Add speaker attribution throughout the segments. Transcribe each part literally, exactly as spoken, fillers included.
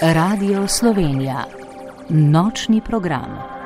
Speaker 1: Radio Slovenija. Nočni program.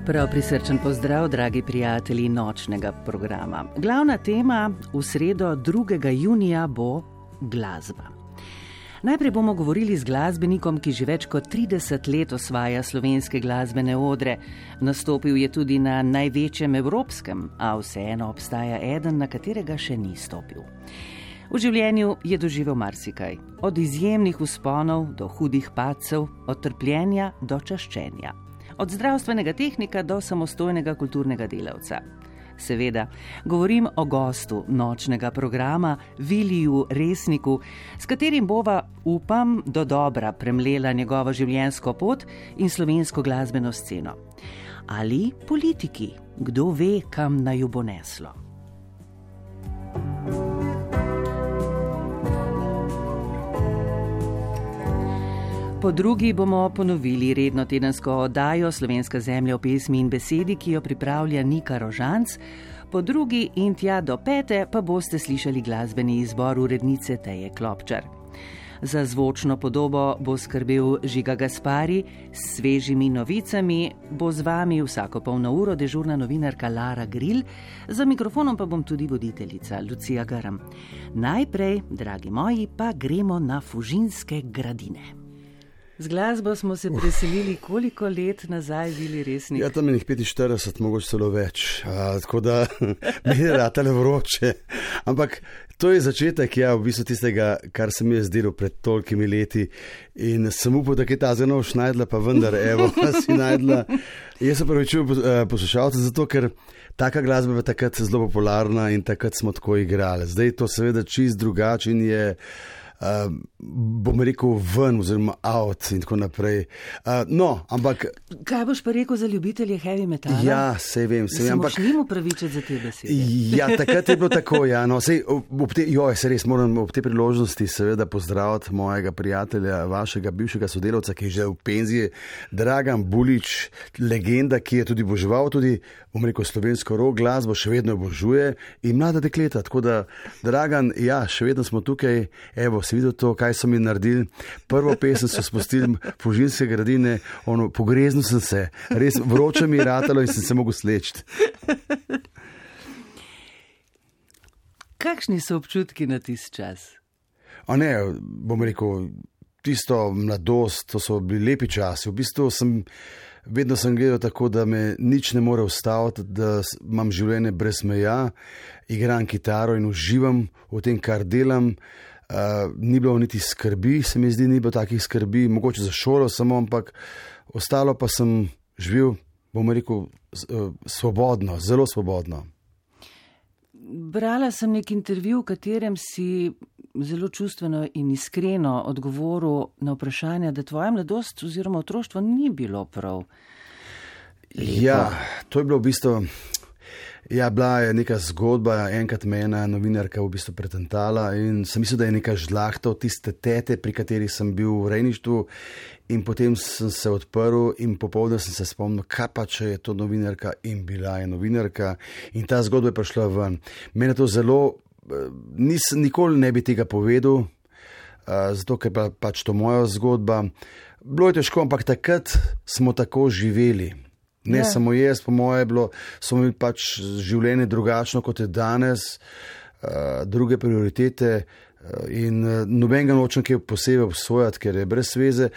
Speaker 2: Prav prisrčen pozdrav, dragi prijatelji nočnega programa. Glavna tema v sredo drugega junija bo glasba. Najprej bomo govorili z glasbenikom, ki že več kot trideset let osvaja slovenske glasbene odre. Nastopil je tudi na največjem evropskem, a vseeno obstaja eden, na katerega še ni stopil. V življenju je doživel marsikaj, od izjemnih vzponov do hudih padcev, od trpljenja do čaščenja. Od zdravstvenega tehnika do samostojnega kulturnega delavca. Seveda, govorim o gostu nočnega programa, Viliju Resniku, s katerim bova, upam, do dobra premlela njegovo življenjsko pot in slovensko glasbeno sceno. Ali politiki, kdo ve, kam naju bo neslo. Po drugi bomo ponovili redno tedensko oddajo Slovenska zemlja v pesmi in besedi, ki jo pripravlja Nika Rožanc. Po drugi in tja do pete pa boste slišali glasbeni izbor urednice Teje Klopčar. Za zvočno podobo bo skrbel Žiga Gaspari, s svežimi novicami bo z vami vsako polno uro dežurna novinarka Lara Gril, za mikrofonom pa bom tudi voditeljica Lucija Grm. Najprej, dragi moji, pa gremo na Fužinske gradine. Z glasbo smo se preselili koliko let nazaj, Vili Resnik?
Speaker 3: Ja, tam je njih petinštirideset, mogoče celo več, a, tako da mi je ratale vroče. Ampak to je začetek, ja, v bistvu tistega, kar se mi je zdelo pred tolikimi leti in sem upal, da je ta zelo šnajdla, pa vendar, evo, si najdla. Jaz se pravičujem poslušalcem, zato ker taka glasba je takrat zelo popularna in takrat smo tako igrali. Zdaj to seveda čist drugače in je Uh, bom rekel ven oziroma out in tako naprej. Uh, no, ampak...
Speaker 2: Kaj boš pa rekel za ljubitelje heavy metala?
Speaker 3: Ja, sej vem. Sej vem, ampak...
Speaker 2: Se moš njim upravičiti za te besede.
Speaker 3: Ja, takrat je bilo tako, ja. No, sej, ob te, joj, se res moram ob te priložnosti seveda pozdraviti mojega prijatelja, vašega bivšega sodelavca, ki je že v penziji, Dragan Bulič, legenda, ki je tudi boževal tudi, bom rekel, slovensko rock glasbo, še vedno obožuje in mlada dekleta. Tako da, Dragan, ja, še vedno smo tukaj, evo, si videl to, kaj so mi naredili. Prvo pesem so spustili Fužinske gradine, ono, pogreznil sem se, res vroče mi je ratalo in sem se mogel slečiti.
Speaker 2: Kakšni so občutki na tist čas?
Speaker 3: A ne, bom rekel, tisto mladost, to so bili lepi časi. V bistvu sem, vedno sem gledal tako, da me nič ne more ustaviti, da imam življenje brez meja, igram kitaro in uživam v tem, kar delam. Uh, ni bilo niti skrbi, se mi zdi, ni bilo takih skrbi, mogoče za šolo samo, ampak ostalo pa sem živel, bom rekel, uh, svobodno, zelo svobodno.
Speaker 2: Brala sem nek intervju, v katerem si zelo čustveno in iskreno odgovoril na vprašanje, da tvoja mladost oziroma otroštvo ni bilo prav lepo.
Speaker 3: Ja, to je bilo v bistvu... Ja, bila je neka zgodba, enkrat me ena novinarka v bistvu pretentala in sem mislil, da je neka žlahta od tiste tete, pri kateri sem bil v rejništvu in potem sem se odprl in popoldne sem se spomnil, kaj pa če je to novinarka in bila je novinarka in ta zgodba je prišla ven. Mene to zelo, nis, nikoli ne bi tega povedal, zato ker pa pač to moja zgodba. Bilo je težko, ampak takrat smo tako živeli. Ne, ja. Samo jaz, po moje, bilo, so mi pač življenje drugačno, kot je danes, uh, druge prioritete, In nobenega nočem kaj posebej obsojati, ker je brez veze.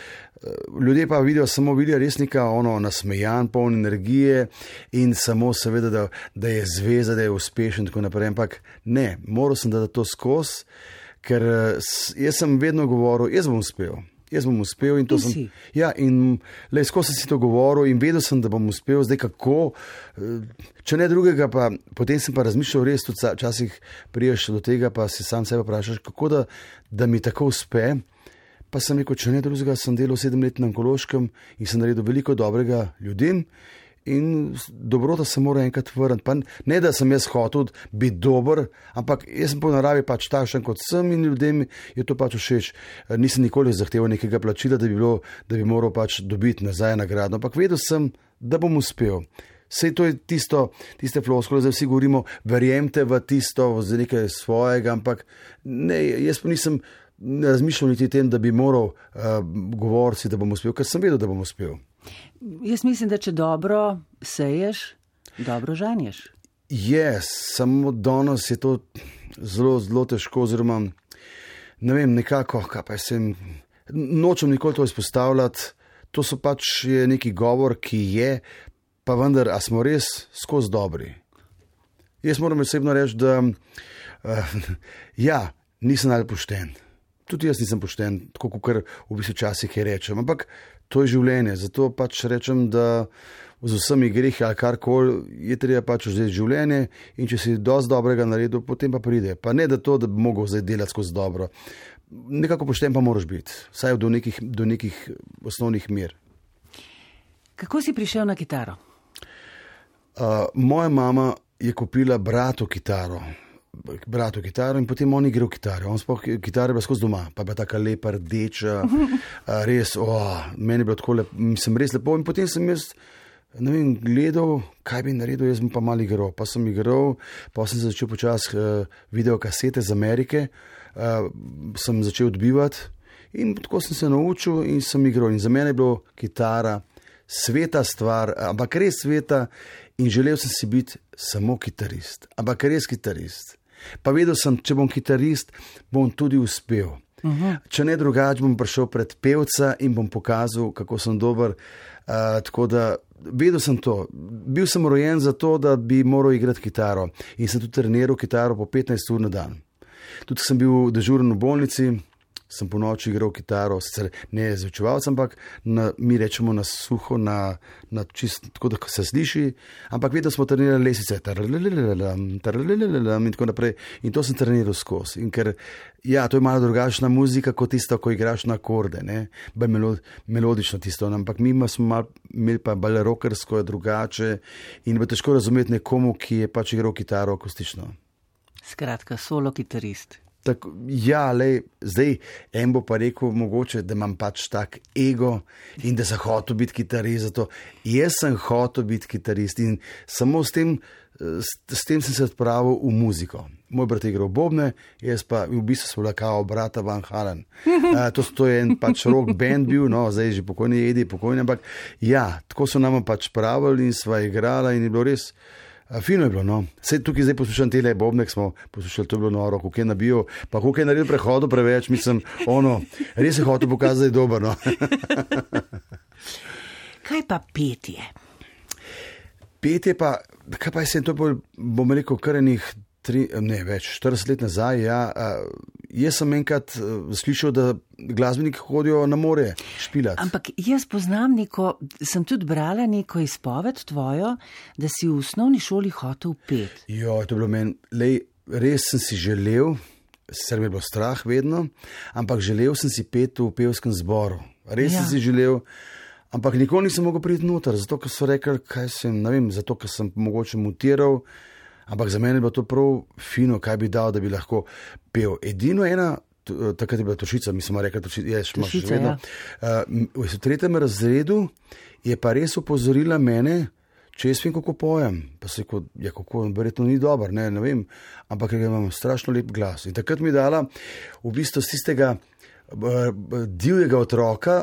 Speaker 3: Ljudje pa vidijo samo vidijo res neka ono nasmejan, poln energije in samo seveda, da, da je zveza, da je uspešen in tako naprej. Ampak ne, moral sem dati to skozi, ker jaz sem vedno govoril, jaz bom uspel. Jaz bom uspel in to in sem. Ja, in le skozi sem si to govoril in vedel sem, da bom uspel. Zdaj kako, če ne drugega, pa potem sem pa razmišljal res, tudi včasih priješ do tega, pa si sam sebe vprašaš, kako da, da mi tako uspe. Pa sem rekel, če ne drugega, sem delal sedem let na onkološkem in sem naredil veliko dobrega ljudem. In dobrota se mora enkrat vrniti. Pa ne, da sem jaz hotel biti dober, ampak jaz sem po naravi pač takšen kot sem in ljudem je to pač všeč. Nisem nikoli zahteval nekega plačila, da bi, bilo, da bi moral pač dobiti nazaj nagrado, ampak vedel sem, da bom uspel. Sej to je tisto, tiste floskole, zdaj vsi govorimo, verjemte v tisto, za nekaj svojega, ampak ne, jaz pa nisem razmišljal niti tem, da bi moral uh, govoriti, da bom uspel, ker sem vedel, da bom uspel.
Speaker 2: Jaz mislim, da če dobro seješ, dobro žanješ.
Speaker 3: Je, samo danes je to zelo, zelo težko, oziroma ne vem, nekako, kaj pa sem, nočem nikoli to izpostavljati, to so pač je neki govor, ki je, pa vendar, a smo res skozi dobri. Jaz moram osebno reči, da uh, ja, nisem najbolj pošten. Tudi jaz nisem pošten, tako kot v bistvu časih je rečem, ampak to je življenje, zato pač rečem, da z vsemi grehi ali karkoli je treba pač vzeti življenje in če si dosti dobrega naredil, potem pa pride. Pa ne da to, da bi mogel zdaj delati skozi dobro. Nekako pošten pa moraš biti, vsaj do nekih, do nekih osnovnih mer.
Speaker 2: Kako si prišel na kitaro?
Speaker 3: Uh, moja mama je kupila bratu kitaro. bratu kitaro in potem on igral kitaro. On sploh kitara je bila skozi doma, pa je bila taka lepa, rdeča, res, oh, meni je bilo tako lepo, sem res lepo in potem sem jaz, ne vem, gledal, kaj bi naredil, jaz sem pa malo igral, pa sem igral, pa sem začel počasi uh, videokasete z Amerike, uh, sem začel odbivati in tako sem se naučil in sem igral in za mene je bilo kitara sveta stvar, ampak res sveta in želel sem si biti samo kitarist, ampak res kitarist. Pa vedel sem, če bom kitarist, bom tudi uspel. Uh-huh. Če ne drugače, bom prišel pred pevca in bom pokazal, kako sem dober. Uh, tako da vedel sem to. Bil sem rojen za to, da bi moral igrati kitaro in sem tudi treniral kitaro po petnajst ur na dan. Tudi sem bil dežuren v bolnici, sem po noči igral kitaro, sicer ne zvučevalec, ampak na, mi rečemo na suho, na, na čist, tako da se sliši, ampak vedno smo trenirali lesice, in tako naprej. In to sem treniral skozi. In ker, ja, to je malo drugačna muzika, kot tisto, ko igraš na akorde, ne, bolj melod, melodično tisto, ampak mi smo mal, imeli pa bolj rockersko, drugače in bo težko razumeti nekomu, ki je pač igral kitaro akustično.
Speaker 2: Skratka, solo kitarist.
Speaker 3: Tak, ja, lej, zdaj en bo pa rekel mogoče, da imam pač tak ego in da sem hotel biti kitarist. Zato. Jaz sem hotel biti kitarist in samo s tem, s, s tem sem se odpravil v muziko. Moj brat je igral bobne, jaz pa v bistvu sem bila kao brata Van Halen. Uh, to, to je en pač rock band bil, no, zdaj je že pokojni Edi, pokojni, ampak ja, tako so nam pač pravili in sva igrala in je bilo res. Fino je bilo, no. Sej tukaj zdaj poslušam tele bobnek, smo poslušali, to je bilo noro, kako je nabil, pa kako je naredil prehodu preveč, mislim, ono, res je hotel pokazati, da je dober, no.
Speaker 2: Kaj pa petje?
Speaker 3: Petje pa, kaj pa je se to bolj, bom rekel, kar enih tri, ne več, štirideset let nazaj, ja, jaz sem enkrat slišal, da glasbeniki hodijo na more špilati.
Speaker 2: Ampak jaz poznam neko, sem tudi brala neko izpoved tvojo, da si v osnovni šoli hotel pet.
Speaker 3: Jo, to je bilo meni, lej, res sem si želel, sicer mi je bilo strah vedno, ampak želel sem si pet v pevskem zboru. Res ja. sem si želel, ampak nikoli nisem mogel priti noter, zato ker so rekli, kaj sem, ne vem, zato ker sem mogoče mutiral, ampak za mene je bilo to prav fino, kaj bi dal, da bi lahko pel. Edino ena, takrat je bila Tošica, mi smo rekli, Tošica, je še še vedno. Ja. Uh, v tretjem razredu je pa res upozorila mene, če jaz vem, kako pojem. Pa se rekel, ja, kako, verjetno ni dober, ne, ne vem, ampak ker imam strašno lep glas. In takrat mi je dala v bistvu z tistega uh, divjega otroka,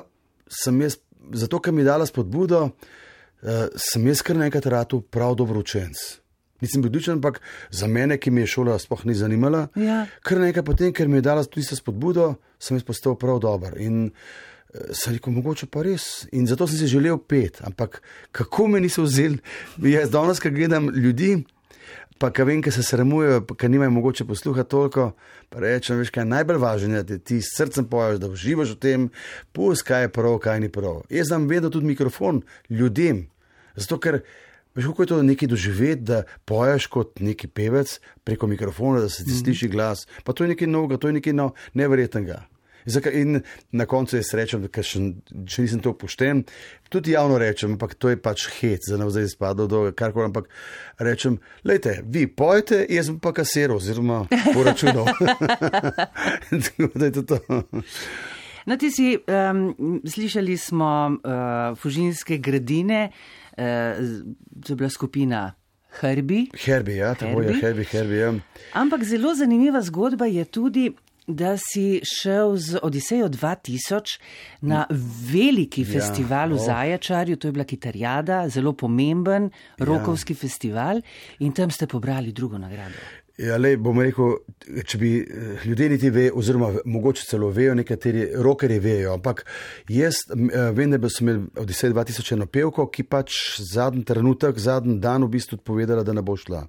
Speaker 3: sem jaz, zato ker mi je dala spodbudo, uh, sem jaz kar nekaj ratu prav dobro učenc. Nisem bil dučen, ampak za mene, ki me je šola sploh ni zanimala,
Speaker 2: Ja.
Speaker 3: kar nekaj potem, ker mi je dala tudi spodbudo, sem jaz postal prav dober. In sem rekel, mogoče pa res. In zato sem si želel pet, ampak kako me niso vzeli, jaz danes, ko gledam ljudi, pa ka vem, ker se sramujejo, ker nimajo mogoče posluha toliko, pa rečem, veš, kaj je najbolj važno, da ti s srcem poješ, da uživaš v tem, pust, kaj je prav, kaj ni prav. Jaz dam vedno tudi mikrofon ljudem, zato ker veš, kako je to nekaj doživeti, da poješ kot neki pevec preko mikrofona, da se ti sliši glas. Pa to je nekaj novega, to je nekaj no, neverjetnega. In na koncu jaz rečem, ker še, še nisem to pošten, tudi javno rečem, ampak to je pač hec, za navzaj izpadlo do karkoli, ampak rečem, lejte, vi pojete, jaz bom pa kasiral, oziroma poračunal. Tako da je to to.
Speaker 2: No, ti si, um, slišali smo uh, Fužinske gradine, uh, to je bila skupina Herbi.
Speaker 3: Herbi, ja, tako je, Herbi, Herbi, ja.
Speaker 2: Ampak zelo zanimiva zgodba je tudi, da si šel z Odisejo dva tisoč na veliki ja, festival v oh. Zajačarju, to je bila Kitarjada, zelo pomemben rokovski ja. festival in tam ste pobrali drugo nagrado.
Speaker 3: Ja, lej, bom rekel, če bi ljudje niti ve, oziroma mogoče celo vejo, nekateri rokerji vejo, ampak jaz vem, da sem imel Odisejo dva tisoč eno pevko, ki pač zadnji trenutek, zadnji dan v bistvu povedala, da ne bo šla.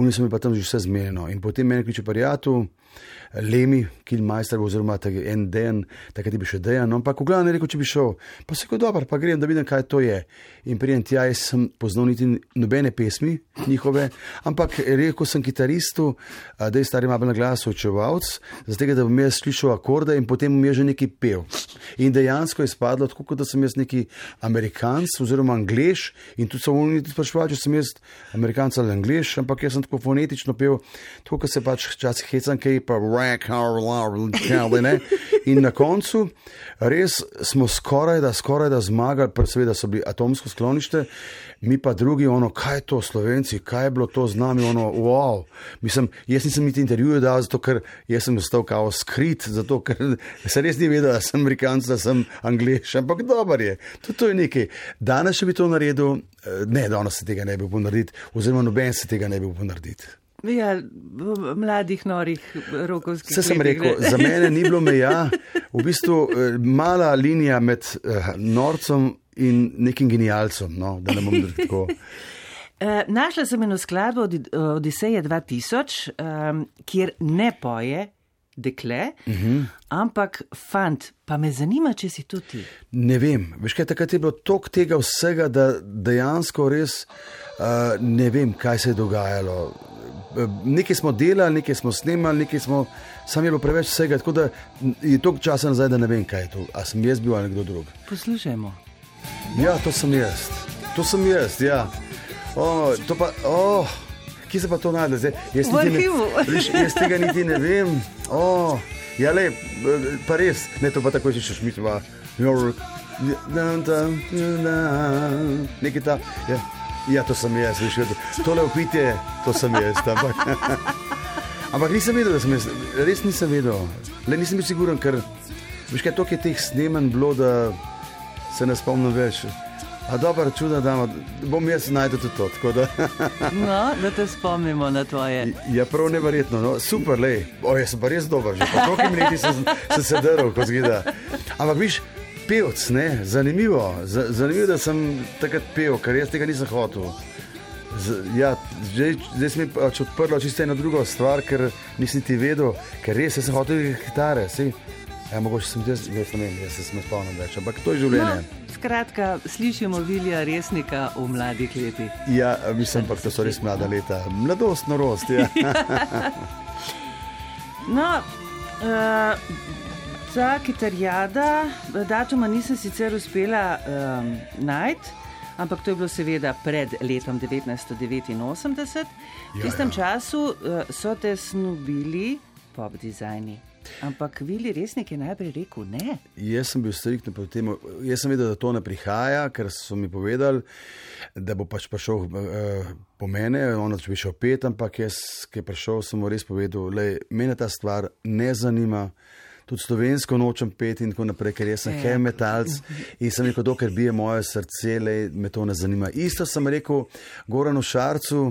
Speaker 3: Oni so mi pa tam že vse zmenjeno. In potem meni kliče prijatelj, Lemi, Kilmajster, oziroma en den, takrat je bil še Dejan, no, ampak v glavnem je rekel, če bi šel. Pa se je dobro, pa grem, da vidim, kaj to je. In prijem tja, jaz sem poznal niti nobene pesmi njihove, ampak rekel sem kitaristu, da je stari malo na glasu očevalc, zato da bom jaz slišal akorde in potem bom jaz že nekaj pel. In dejansko je spadlo tako, kot da sem jaz neki Amerikanc oziroma Angleš in tudi so oni spraševali, če sem jaz Amerikanc ali Angleš, ampak jaz sem tako fonetično pel, tako, kot se pač včasih hecam, kaj pa ne? In na koncu res smo skoraj da, skoraj da zmagali, seveda so bili atomsko sklonište, mi pa drugi, ono, kaj je to Slovenci, kaj je bilo to z nami, ono, wow. Mislim, jaz nisem niti intervjuje dal, zato ker jaz sem ostal kao skrit, zato ker se res ni vedel, da sem Amerikanc, da sem Angleš, ampak dober je. To, to je nekaj. Danes še bi to naredil, ne, danes se tega ne bi upal narediti, oziroma noben se tega ne bi upal narediti.
Speaker 2: Ja, mladih, norih, rokovskih.
Speaker 3: Vse sem rekel, za mene ni bilo meja, v bistvu mala linija med uh, norcem in nekim genialcem, no, da ne bom tako.
Speaker 2: Našla sem eno skladbo od Odiseje dva tisoč, um, kjer ne poje dekle, uh-huh. ampak fant, pa me zanima, če si tudi ti.
Speaker 3: Ne vem, veš kaj, takrat je bilo toliko tega vsega, da dejansko res uh, ne vem, kaj se je dogajalo. Nekaj smo delali, nekaj smo snemali, nekaj smo, sam je bilo preveč vsega, tako da je toliko časa nazaj, da ne vem, kaj je to. A sem jaz bil ali kdo drug?
Speaker 2: Poslušajmo.
Speaker 3: Ja, to sem jaz. To sem jaz, ja. O, to pa, o, kje se pa to najde zdaj? Jaz
Speaker 2: v arhivu.
Speaker 3: Ne, jaz tega niti ne vem. O, ja, le, pa res, ne, to pa tako še še šmitva. Nekaj ta, ja. Ja, to sem jaz, veš, tole upitje, to sem jaz, ampak, ampak nisem vedel, da sem jaz, res nisem vedel, le nisem bil siguren, ker, veš kaj, toliko je teh snemanj bilo, da se ne spomnim več, a dobro, čuda, da bom jaz najdel tudi to, tako da.
Speaker 2: No, da te spomnimo na tvoje.
Speaker 3: Ja, prav neverjetno, no, super, lej, o, jaz sem pa res dober, že pa toliko leti sem se drl, ko zgleda, ampak viš, pevc, ne, zanimivo, Z, zanimivo, da sem takrat pel, ker jaz tega nisem hotel. Z, ja, zdaj, zdaj sem mi pač odprlo čisto eno drugo stvar, ker nisem ti vedel, ker res sem hotel kitare, sej, ja, mogoče sem jaz, jaz ne vem, jaz se sem spomnil več, ampak to je življenje.
Speaker 2: No, skratka, slišimo Vilija Resnika v mladih letih.
Speaker 3: Ja, mislim pa, da so res mlada leta, mladost, norost, ja.
Speaker 2: No, uh, ta Kitarjada, datuma nisem sicer uspela um, najti, ampak to je bilo seveda pred letom devetnajststo devetinosemdeset. V tistem ja, ja. času uh, so te snubili pop dizajni. Ampak Vili Resnik je najprej rekel ne.
Speaker 3: Jaz sem bil striktno proti temu. Jaz sem vedel, da to ne prihaja, ker so mi povedali, da bo pač prišel uh, po mene, ono če bi šel pet, ampak jaz, ki je prišel, sem mu res povedal, lej, mene ta stvar ne zanima. Tudi slovensko nočem peti in tako naprej, ker jaz sem heavy metalc in sem rekel, dokler bije moje srce, lej, me to ne zanima. Isto sem rekel Goranu Šarcu,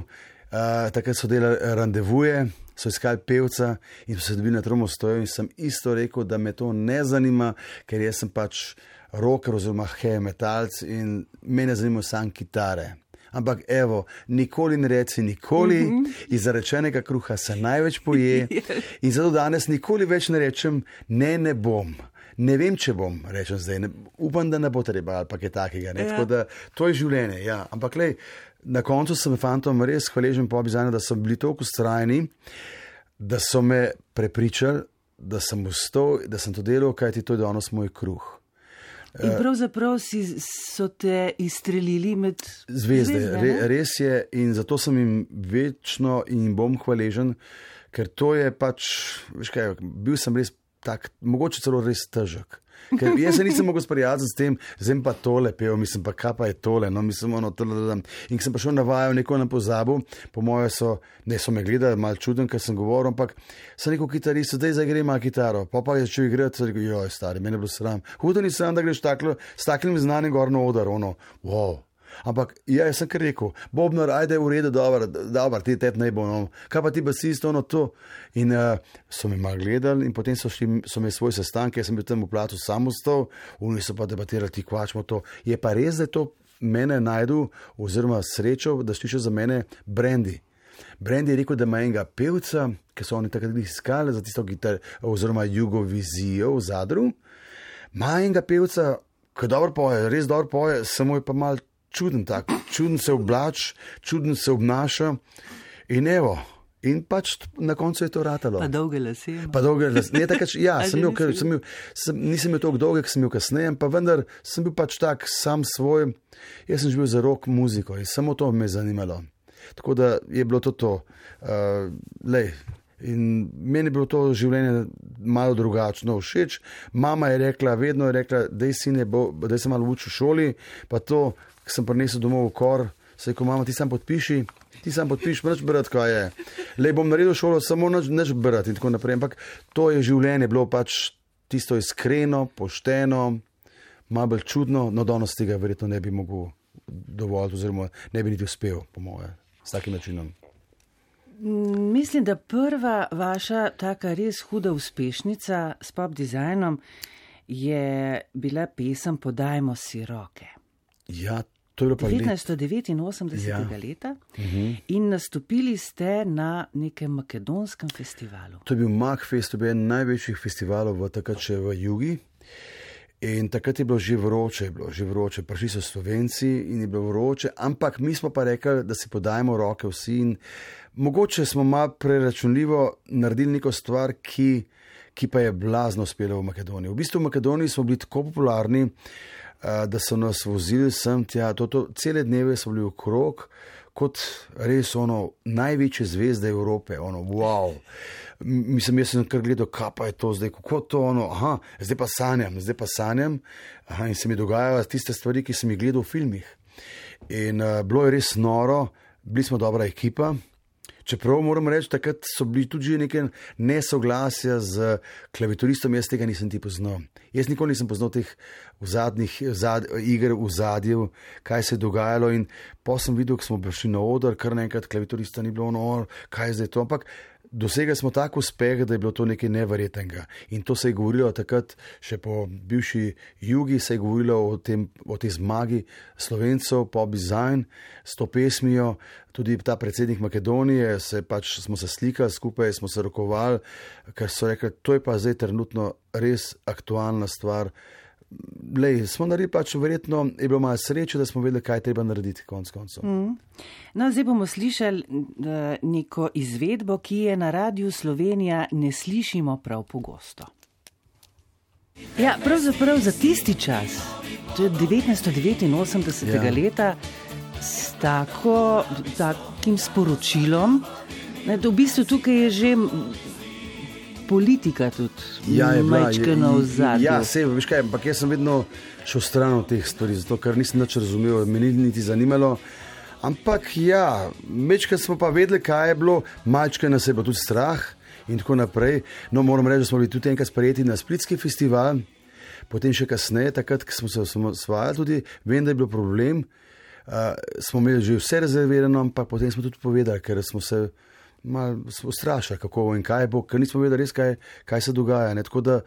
Speaker 3: Uh, takrat so delali randevuje, so iskali pevca in so se dobili na Tromostoju in sem isto rekel, da me to ne zanima, ker jaz sem pač rocker oziroma heavy metalc in mene zanimajo samo kitare. Ampak evo, nikoli ne reci nikoli, mm -hmm. iz zarečenega kruha se največ poje in zato danes nikoli več ne rečem, ne, ne bom. Ne vem, če bom, rečem zdaj, ne, upam, da ne bo treba ali pa kaj takega. Ja. Tako da to je življenje, ja. Ampak lej, na koncu sem fantom res hvaležen po obizajnu, da so bili toliko ustrajni, da so me prepričali, da sem ustal, da sem to delal, kajti to je danes moj kruh.
Speaker 2: In pravzaprav si, so te izstrelili med
Speaker 3: zvezde. zvezde Re, res je in zato sem jim večno in bom hvaležen, ker to je pač, veš kaj, bil sem res tak, mogoče celo res težek. Ker jaz se nisem mogel sprijaziti s tem, zdaj pa tole pev, mislim pa kaj pa je tole, no mislim ono tole. In sem pa šel navajal neko na pozabu, po moje so, ne so me gledali, malo čuden, ker sem govoril, ampak sem rekel kitarist, zdaj zagre malo kitaro, pa pa je začel igrati, sem rekel, joj stari, mene je bilo sram. Hudo ni sram, da greš taklo, s taklim znanim gor na oder, ono, wow. Ampak ja, jaz sem kar rekel, Bobnar, ajde v redu, dobro, dobro, ti tep ne bo, no. Kaj pa ti basist, ono to. In uh, so me malo gledali in potem so, šli, so me svoj sestanke, jaz sem bil tam v platu samostal, oni so pa debatirali, ti kvačmo to. Je pa res, da je to mene najdu, oziroma srečo, da šliče za mene Brandy. Brandy je rekel, da ima enega pevca, ki so oni takrat iskali za tisto gitar, oziroma Jugovizijo v Zadru, ima enega pevca, ki dobro poje, res dobro poje, samo je pa malo čuden tak, čuden se oblač, čuden se obnaša in evo, in pač na koncu je to ratalo.
Speaker 2: Pa dolge lase.
Speaker 3: Pa dolge lase. Ne, takrat, ja, sem imel, ker, sem imel, sem, nisem imel toliko dolge, sem imel kasneje, pa vendar sem bil pač tak sam svoj, jaz sem živel za rock muziko in samo to me je zanimalo. Tako da je bilo to to. Uh, lej, in meni je bilo to življenje malo drugačno všeč. Mama je rekla, vedno je rekla, daj sine, daj se malo uči v šoli, pa to, ki sem prinesel domov v kor, se je rekel, mama, ti sam podpiši, ti sam podpiši, neč brati, kaj je. Lej, bom naredil šolo, samo neč, neč brati in tako naprej. Ampak to je življenje, bilo pač tisto iskreno, pošteno, malo bolj čudno, no danes tega verjetno ne bi mogel dovolj, oziroma ne bi niti uspel, po moje, s takim načinom.
Speaker 2: Mislim, da prva vaša taka res huda uspešnica s pop dizajnom je bila pesem Podajmo si roke.
Speaker 3: Ja, to je bilo pa
Speaker 2: devetnajststo devetinosemdesetega ja. leta uh-huh. in nastopili ste na nekem makedonskem festivalu.
Speaker 3: To je bil Magfest, to je bil en največjih festivalov v takrat še v Jugi. In takrat je bilo že vroče, je bilo že vroče, prišli so Slovenci in je bilo vroče, ampak mi smo pa rekli, da si podajmo roke vsi in mogoče smo malo preračunljivo naredili neko stvar, ki, ki pa je blazno uspela v Makedoniji. V bistvu v Makedoniji smo bili tako popularni, da so nas vozili sem tja, to, to, cele dneve so bili okrog, kot res ono največje zvezde Evrope, ono wow. Mislim, jaz sem kar gledal, kaj pa je to zdaj, kako to ono, aha, zdaj pa sanjam, zdaj pa sanjam, aha, in se mi dogajajo tiste stvari, ki sem jih gledal v filmih. In uh, bilo je res noro, bili smo dobra ekipa, čeprav moram reči, takrat so bili tudi neke nesoglasja z klavitoristom, jaz tega nisem ti poznal. Jaz nikoli nisem poznal teh v zadnjih zad, iger v zadju, kaj se je dogajalo in pa sem videl, ko smo prišli na oder, kar naenkrat klavitorista ni bilo, no, kaj je zdaj to, ampak dosegli smo tak uspeh, da je bilo to nekaj neverjetnega. In to se je govorilo takrat, še po bivši Jugi, se je govorilo o, tem, o tej zmagi Slovencev, pop design, s to pesmijo. Tudi ta predsednik Makedonije, se pač, smo se slikali skupaj, smo se rokovali, ker so rekli, to je pa zdaj trenutno res aktualna stvar. Lej, smo naredili pač verjetno, je bilo malo sreče, da smo vedeli, kaj treba narediti konc koncev.
Speaker 2: Mm. No, zdaj bomo slišali neko izvedbo, ki je na Radiu Slovenija ne slišimo prav pogosto. Ja, pravzaprav za tisti čas, to je devetnajststo devetinosemdesetega ja. leta, s tako, takim sporočilom, da v bistvu tukaj je že politika tudi ja, majčkeno v zadju.
Speaker 3: Ja, sej, veš kaj, ampak jaz sem vedno šel stran od teh stvari, zato ker nisem nič razumel, me ni niti zanimalo. Ampak ja, majčkeno smo pa vedeli, kaj je bilo, majčkeno nas je bilo tudi strah in tako naprej. No, moram reči, da smo bili tudi enkrat sprejeti na Splitski festival, potem še kasneje, takrat, ko smo se osvajali tudi, vem, da je bil problem, uh, smo imeli že vse rezervirano, ampak potem smo tudi povedali, ker smo se malo ustrašili, kako in kaj bo, ker nismo vedeli res, kaj, kaj se dogaja. Ne? Tako da,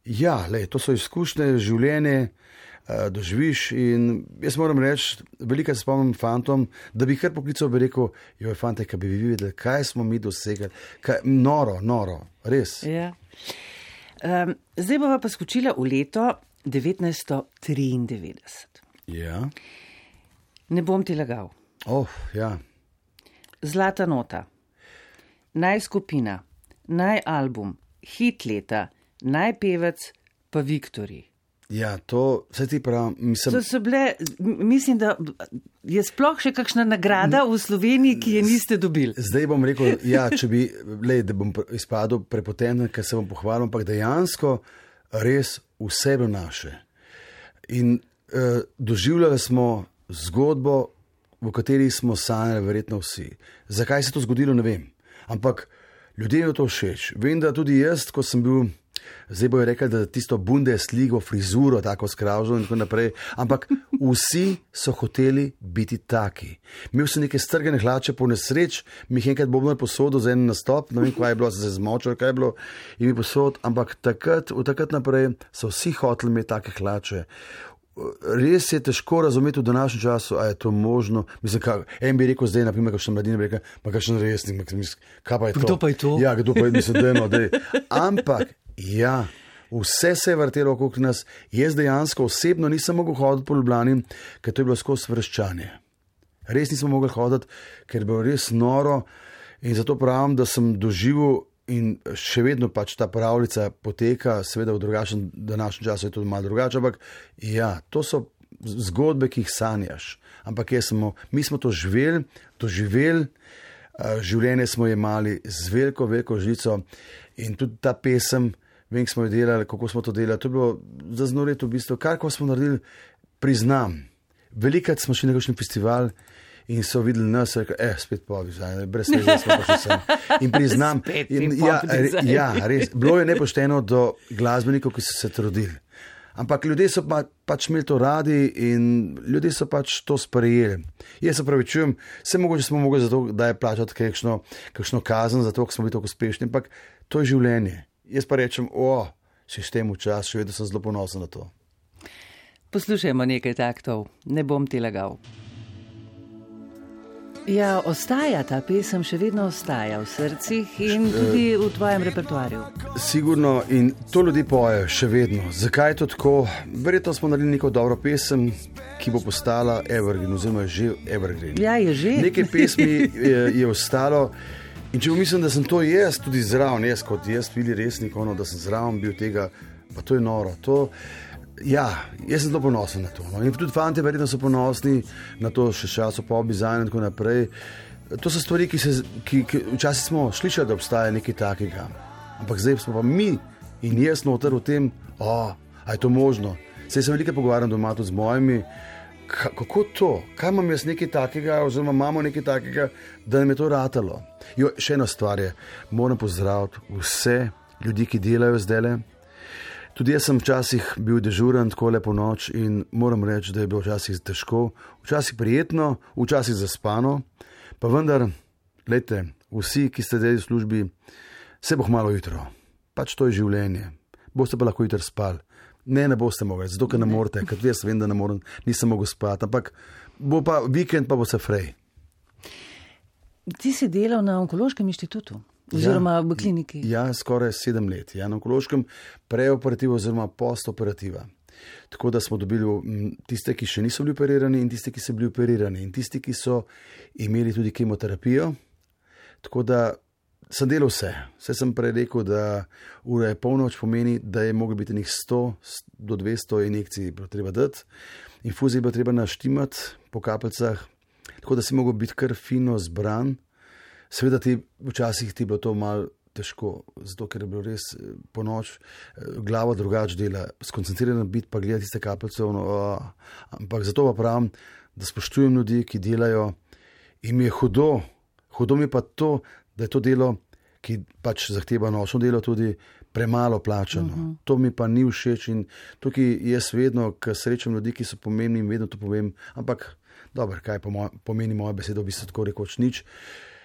Speaker 3: ja, lej, to so izkušnje, življenje, uh, doživiš in jaz moram reči, veliko se spomnim fantom, da bi kar poklical, bi rekel, joj, fante, kaj bi vi videli, kaj smo mi dosegali, kaj, noro, noro, res.
Speaker 2: Ja. Um, zdaj bova pa skočila v leto devetnajststo triindevetdeset.
Speaker 3: Ja.
Speaker 2: Ne bom ti lagal.
Speaker 3: Oh, ja.
Speaker 2: Zlata nota, naj skupina, naj album, hit leta, naj pevec, pa Viktorji.
Speaker 3: Ja, to se ti pravi, mislim.
Speaker 2: To so bile, mislim, da je sploh še kakšna nagrada v Sloveniji, ki je niste dobili.
Speaker 3: Zdaj bom rekel, ja, če bi, lej, da bom izpadel prepotenten, ker se bom pohvalil, ampak dejansko res vse bilo naše. In uh, doživljali smo zgodbo, v kateri smo sanjali verjetno vsi. Zakaj se to zgodilo, ne vem. Ampak ljudem je to všeč. Vem, da tudi jaz, ko sem bil, zdaj bojo rekli, da tisto Bundesligo, frizuro, tako skravžo in tako naprej, ampak vsi so hoteli biti taki. Imel sem neke strgane hlače, po nesreč, mi jih enkrat bobno je posodil za en nastop, ne vem, kaj je bilo, se zmočil, kaj je bilo, in mi posod, ampak takrat, od takrat naprej so vsi hoteli imeti take hlače. Res je težko razumeti v današnjem času, a je to možno. Mislim, kaj, en bi rekel zdaj, naprimer, kakšen mladina bi rekel, pa kakšen resnik, kaj pa je to?
Speaker 2: Kdo pa je to?
Speaker 3: Ja, kdo pa je, mislim, dejno, dej. Ampak, ja, vse se je vrtelo okrog nas. Jaz dejansko osebno nisem mogel hoditi po Ljubljani, ker to je bilo skozi vreščanje. Res nisem mogel hoditi, ker je bilo res noro in zato pravim, da sem doživel in še vedno pač ta pravljica poteka, seveda v drugačnem današnjem času je to malo drugače, ampak ja, to so zgodbe, ki jih sanjaš. Ampak jaz smo, mi smo to živeli, to živeli, življenje smo imeli z veliko, veliko žlico in tudi ta pesem, vem, ki smo jo delali, kako smo to delali, to je bilo zaznoreto v bistvu, kar ko smo naredili, priznam. Velikrat smo šli na kakšen festival in so videli nas, rekel, eh, spet pobi, brez tega smo pa še sem. In priznam, in, ja, re, ja, res, bilo je nepošteno do glasbenikov, ki so se trudili. Ampak ljudje so pa, pač imeli to radi in ljudje so pač to sprejeli. Jaz se pravi čujem, vse mogoče smo mogli zato, da je plačati kakšno, kakšno kazen, zato, ker smo bili tako uspešni, ampak to je življenje. Jaz pa rečem, o, sistem v čas, še vedno sem zelo ponosen na to.
Speaker 2: Poslušajmo nekaj taktov, ne bom ti lagal. Ja, ostaja ta pesem, še vedno ostaja v srcih in tudi v tvojem repertoarju.
Speaker 3: Sigurno in to ljudi poje še vedno. Zakaj je to tako? Verjetno smo naredili neko dobro pesem, ki bo postala evergreen, oziroma je že evergreen.
Speaker 2: Ja, je že.
Speaker 3: Nekaj pesmi je, je ostalo in če mislim, da sem to jaz tudi zraven, jaz kot jaz Vili Resnik, ono, da sem zraven bil tega, pa to je noro. To, ja, jaz sem zelo ponosen na to. No. In tudi fanti verjetno so ponosni na to še časo po dizajnu in tako naprej. To so stvari, ki se, ki, ki včasih smo slišali, da obstaja nekaj takega. Ampak zdaj smo pa mi in jaz noter v tem, o, a je to možno. Saj se veliko pogovarjam doma tudi z mojimi, ka, kako to, kaj imam jaz nekaj takega, oziroma imamo nekaj takega, da nam je to ratalo. Jo, še ena stvar je, moram pozdraviti vse ljudi, ki delajo zdajle. Tudi jaz sem včasih bil dežuren tako lepo noč in moram reči, da je bilo včasih težko, včasih prijetno, včasih zaspano, pa vendar, glejte, vsi, ki ste zdaj v službi, se bo malo jutro. Pač to je življenje. Boste pa lahko jutro spali. Ne, ne boste mogli, zato ker ne morete, ker jaz vem, da ne morem, nisem mogel spati, ampak bo pa vikend, pa bo se frej.
Speaker 2: Ti si delal na Onkološkem inštitutu? Oziroma ja, v kliniki?
Speaker 3: Ja, skoraj sedem let. Ja, na Onkološkem preoperativa oziroma postoperativa. Tako da smo dobili tiste, ki še niso bili operirani in tiste, ki so bili operirani in tisti, ki so imeli tudi kemoterapijo. Tako da sem delal vse. Vse sem prej rekel, da ura je polnoč pomeni, da je moglo biti nekih sto do dvesto injekcij treba dati. Infuzije je bilo treba naštimati po kapljicah, tako da si mogel biti kar fino zbran. Seveda ti včasih ti bilo to malo težko, zato ker je bilo res po noč glava drugače dela, skoncentrirana biti pa gledati tiste kapljice, no, ampak zato pa pravim, da spoštujem ljudi, ki delajo in mi je hudo, hudo mi je pa to, da je to delo, ki pač zahteva nočno delo tudi, premalo plačano. Uh -huh. To mi pa ni všeč in tukaj jaz vedno, ko srečam ljudi, ki so pomembni, vedno to povem, ampak dobro, kaj moj, pomeni moja beseda, v bistvu tako rekoč nič.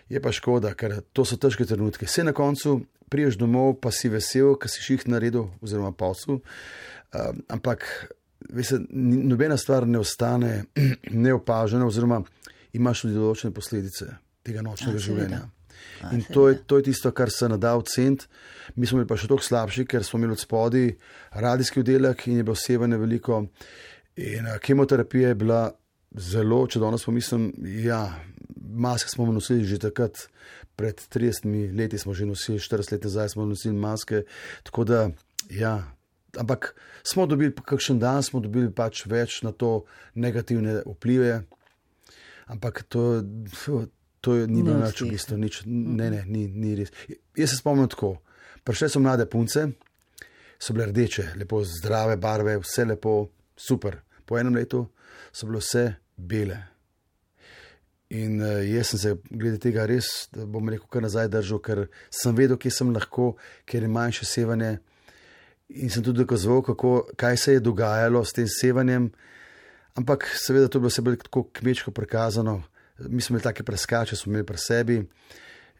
Speaker 3: Je pa škoda, ker to so težke trenutke. Vse na koncu priješ domov, pa si vesel, ker si šiht naredil oziroma posel, uh, ampak veste, nobena stvar ne ostane neopažena oziroma imaš tudi določene posledice tega nočnega A, življenja. A, in to je, to je tisto, kar se nada oceniti. Mi smo bili pa še toliko slabši, ker smo imeli od spodaj radijski oddelek in je bilo sevanje veliko. In a, kemoterapija je bila zelo, če danes pomislim, ja, maske smo nosili že takrat, pred tridesetimi leti smo že nosili, štirideset let nazaj smo nosili maske, tako da, ja, ampak smo dobili, kakšen dan smo dobili pač več na to negativne vplive, ampak to, to je, ni bilo nič v bistvu, nič, ne, ne, ni, ni res. Jaz se spomnim tako, prišle so mlade punce, so bile rdeče, lepo zdrave barve, vse lepo, super. Po enem letu so bile vse bele. In uh, jaz sem se glede tega res, da bom rekel, kar nazaj držal, ker sem vedel, kje sem lahko, ker je manjše sevanje. In sem tudi dokazoval, kako, kaj se je dogajalo s tem sevanjem. Ampak seveda to je bilo vse bolj tako kmečko prikazano. Mi smo imeli take preskače, smo imeli pri sebi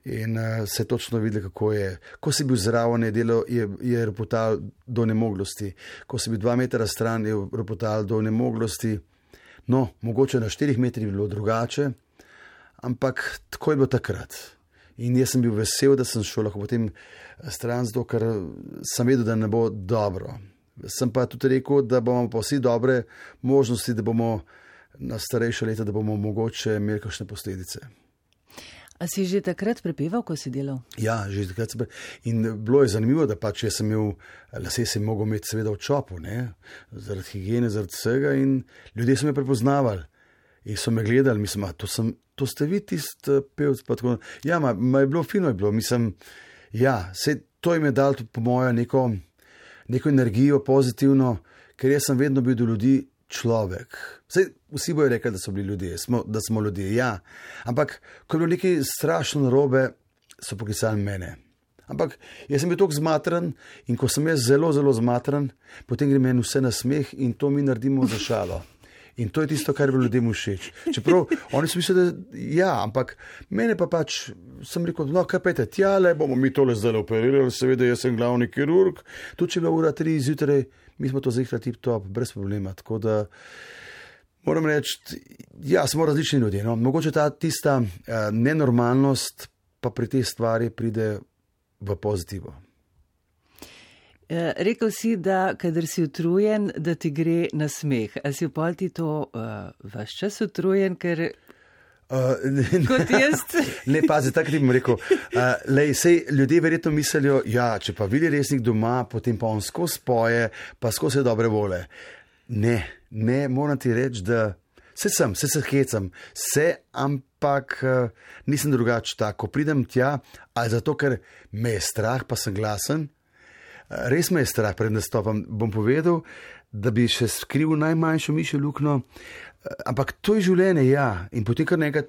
Speaker 3: in uh, se je točno videli, kako je. Ko si bil zraven, je, delo, je, je ropotal do nemoglosti. Ko si bil dva metra stran, je ropotal do nemoglosti. No, mogoče na štirih metrih bi bilo drugače, ampak tako je bilo takrat. In jaz sem bil vesel, da sem šel lahko potem stran, zato ker sem vedel, da ne bo dobro. Sem pa tudi rekel, da bomo pa vsi dobre možnosti, da bomo na starejše leta, da bomo mogoče imeli kakšne posledice.
Speaker 2: A si že takrat prepeval, ko si delal?
Speaker 3: Ja, že takrat sem prepeval. In bilo je zanimivo, da pač jaz sem imel, lase sem mogel imeti seveda v čopu, ne? Zaradi higiene, zaradi vsega in ljudje so me prepoznavali. In so me gledali, mislim, a to, sem, to ste vi tisti pevc, pa tako. Ja, ma, ma je bilo fino, je bilo, mislim, ja, se, to jim je dal po mojo neko, neko energijo pozitivno, ker jaz sem vedno bil do ljudi človek. Sej, vsi bojo rekli, da so bili ljudje, smo, da smo ljudje, ja. Ampak, ko je bilo nekaj strašno narobe, so poklicali mene. Ampak, jaz sem bil toliko zmatran in ko sem jaz zelo, zelo zmatran, potem gre meni vse na smeh in to mi naredimo za šalo. In to je tisto, kar je bilo ljudem všeč. Čeprav oni so mislili, da ja, ampak mene pa pač sem rekel, no, kaj pejte, tjale, bomo mi tole zdaj operirali, seveda jaz sem glavni kirurg, tudi če je bila ura tri zjutraj, mi smo to zihra tip-top, brez problema, tako da moram reči, ja, smo različni ljudje, no, mogoče ta tista uh, nenormalnost pa pri tej stvari pride v pozitivo.
Speaker 2: Rekel si, da kadar si utrujen, da ti gre na smeh. A si v pol ti to uh, vaš čas utrujen, ker uh, ne, kot jaz?
Speaker 3: Ne, pazi, tako ti bom rekel. Uh, lej, sej, ljudje verjetno mislijo, ja, če pa vidi resnik doma, potem pa on skozi poje, pa skozi dobre vole. Ne, ne, moram ti reči, da se sem, se se hecam, se, ampak uh, nisem drugače tako. Pridem tja, ali zato, ker me je strah, pa sem glasen. Res me je strah pred nastopom, bom povedal, da bi še skril najmanjšo mišjo luknjo, ampak to je življenje, ja, in potem kar nekaj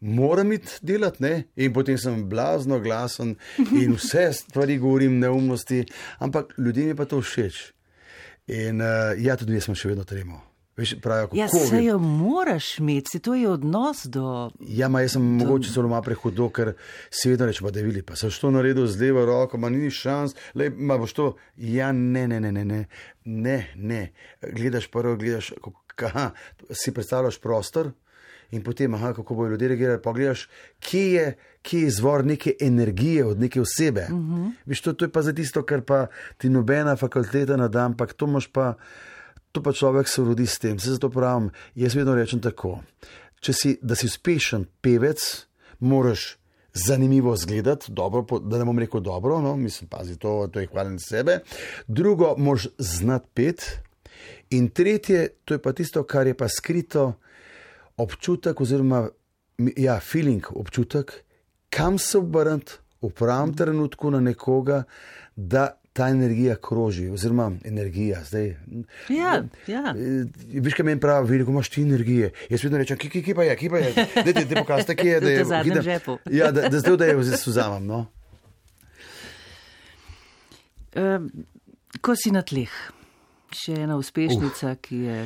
Speaker 3: moram iti delati, ne, in potem sem blazno glasen in vse stvari govorim neumnosti, ampak ljudem je pa to všeč. In uh, ja, tudi jaz sem še vedno tremo. Veš, pravijo,
Speaker 2: ja, se jo moraš imeti, to je odnos do...
Speaker 3: Ja, ma jaz sem do... mogoče zelo malo prehudo, ker si vedno reče, pa da vili, pa sem što naredil z levo roko, ma ni šans, lej, ma boš to... Ja, ne, ne, ne, ne, ne, ne, ne, gledaš prvo, gledaš, aha, si predstavljaš prostor in potem, aha, kako bojo ljudje reagirali, pa gledaš, kje je, kje je izvor neke energije od neke osebe. Uh-huh. Veš, to, to je pa za tisto, kar pa ti nobena fakulteta nada, ampak to imaš pa... To pa človek se rodi s tem. Se zato pravim, jaz vedno rečem tako. Če si, da si uspešen pevec, moraš zanimivo izgledati, dobro, da ne bom rekel dobro, no, mislim, pazi, to, to je hvaljen sebe. Drugo, moraš znati pet. In tretje, to je pa tisto, kar je pa skrito, občutek oziroma, ja, feeling, občutek, kam se obrniti v pravem trenutku na nekoga, da ta energija kroži, oziroma energija, zdaj.
Speaker 2: Ja, ja.
Speaker 3: Viš, kaj meni pravi, veliko imaš ti energije. Jaz vedno rečem, ki, ki, ki pa je, ki pa je, da ti pokažete, kje je, da je.
Speaker 2: V zadnjem žepu.
Speaker 3: Ja, da, da zdaj, da je vzamem, no.
Speaker 2: Uh, ko si na tleh, še ena uspešnica, uh. ki je...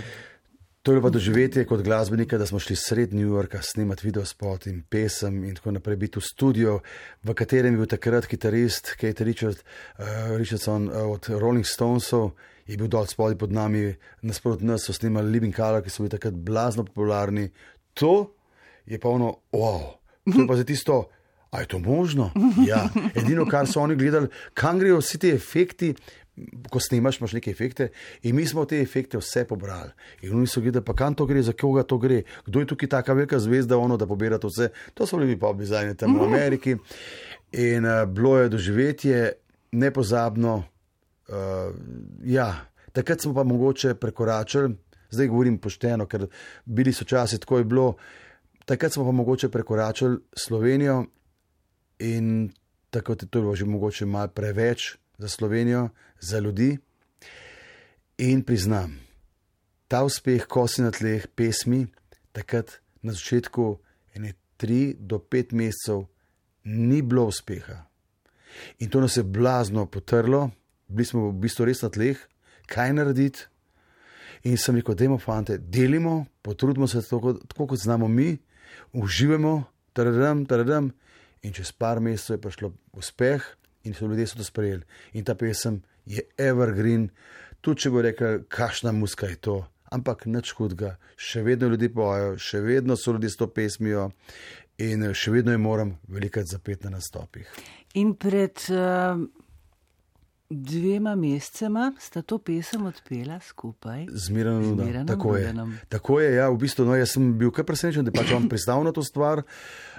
Speaker 3: To je pa doživetje kot glasbenika, da smo šli sred New Yorka snemati videospot in pesem in tako naprej, biti v studiu, v katerem je bil takrat kitarist Keith Richard, uh, Richardson uh, od Rolling Stonesov, je bil dol spodaj pod nami, nasprot nas so snemali Living Colour, ki so bili takrat blazno popularni. To je pa ono, wow, to je pa za tisto, a je to možno? Ja, edino, kar so oni gledali, kam grejo vsi ti efekti, ko snimaš, imaš neke efekte in mi smo te efekte vse pobrali. In oni so gledali, pa kam to gre, za koga to gre, kdo je tukaj taka velika zvezda, ono, da pobira to vse. To so bili pop dizajni tam v Ameriki in uh, bilo je doživetje nepozabno. Uh, ja, takrat smo pa mogoče prekoračili, zdaj govorim pošteno, ker bili so časi, tako je bilo, takrat smo pa mogoče prekoračili Slovenijo in takrat je to bilo že mogoče malo preveč za Slovenijo, za ljudi. In priznam, ta uspeh, ko si na tleh pesmi, takrat na začetku ene tri do pet mesecev ni bilo uspeha. In to nas je blazno potrlo, bili smo v bistvu res na tleh, kaj narediti. In sem rekel, dajmo fante, delimo, potrudimo se tako, tako kot znamo mi, uživamo, taradam, taradam, in čez par mesecev je prišlo uspeh, in so ljudje so to sprejeli. In ta pesem je evergreen, tudi če bo rekel, kakšna muska je to, ampak nič hudega, še vedno ljudje pojejo, še vedno so ljudje s to pesmijo in še vedno je moram velikrat zapeti na nastopih.
Speaker 2: In pred uh, dvema mesecema sta to pesem odpela skupaj.
Speaker 3: Z Miranom Rudanom. Tako je. Tako je, ja, v bistvu, no, jaz sem bil kar presenečen, da pač vam pristal na to stvar.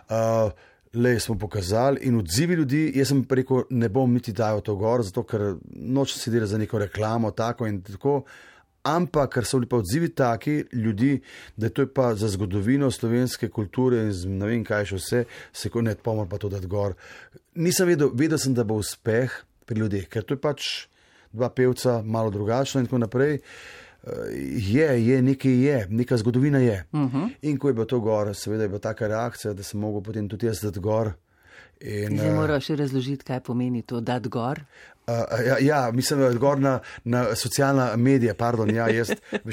Speaker 3: Uh, Le smo pokazali in odzivi ljudi, jaz sem rekel, ne bom niti dajal to gor, zato ker nočem si delati za neko reklamo, tako in tako, ampak ker so bili pa odzivi taki ljudi, da to je pa za zgodovino slovenske kulture in ne vem kaj še vse, se ko ne pomor pa to dati gor. Nisem vedel, vedel sem, da bo uspeh pri ljudeh, ker to je pač dva pevca, malo drugačno in tako naprej. Je, je, nekaj je, neka zgodovina je. Uh -huh. In ko je bilo to gor, seveda je bila taka reakcija, da sem mogel potem tudi jaz dati gor. In,
Speaker 2: Zdaj moraš še razložiti, kaj pomeni to dati gor.
Speaker 3: Uh, ja, ja, mislim, da je gor na, na socialna medija, pardon, ja, jaz,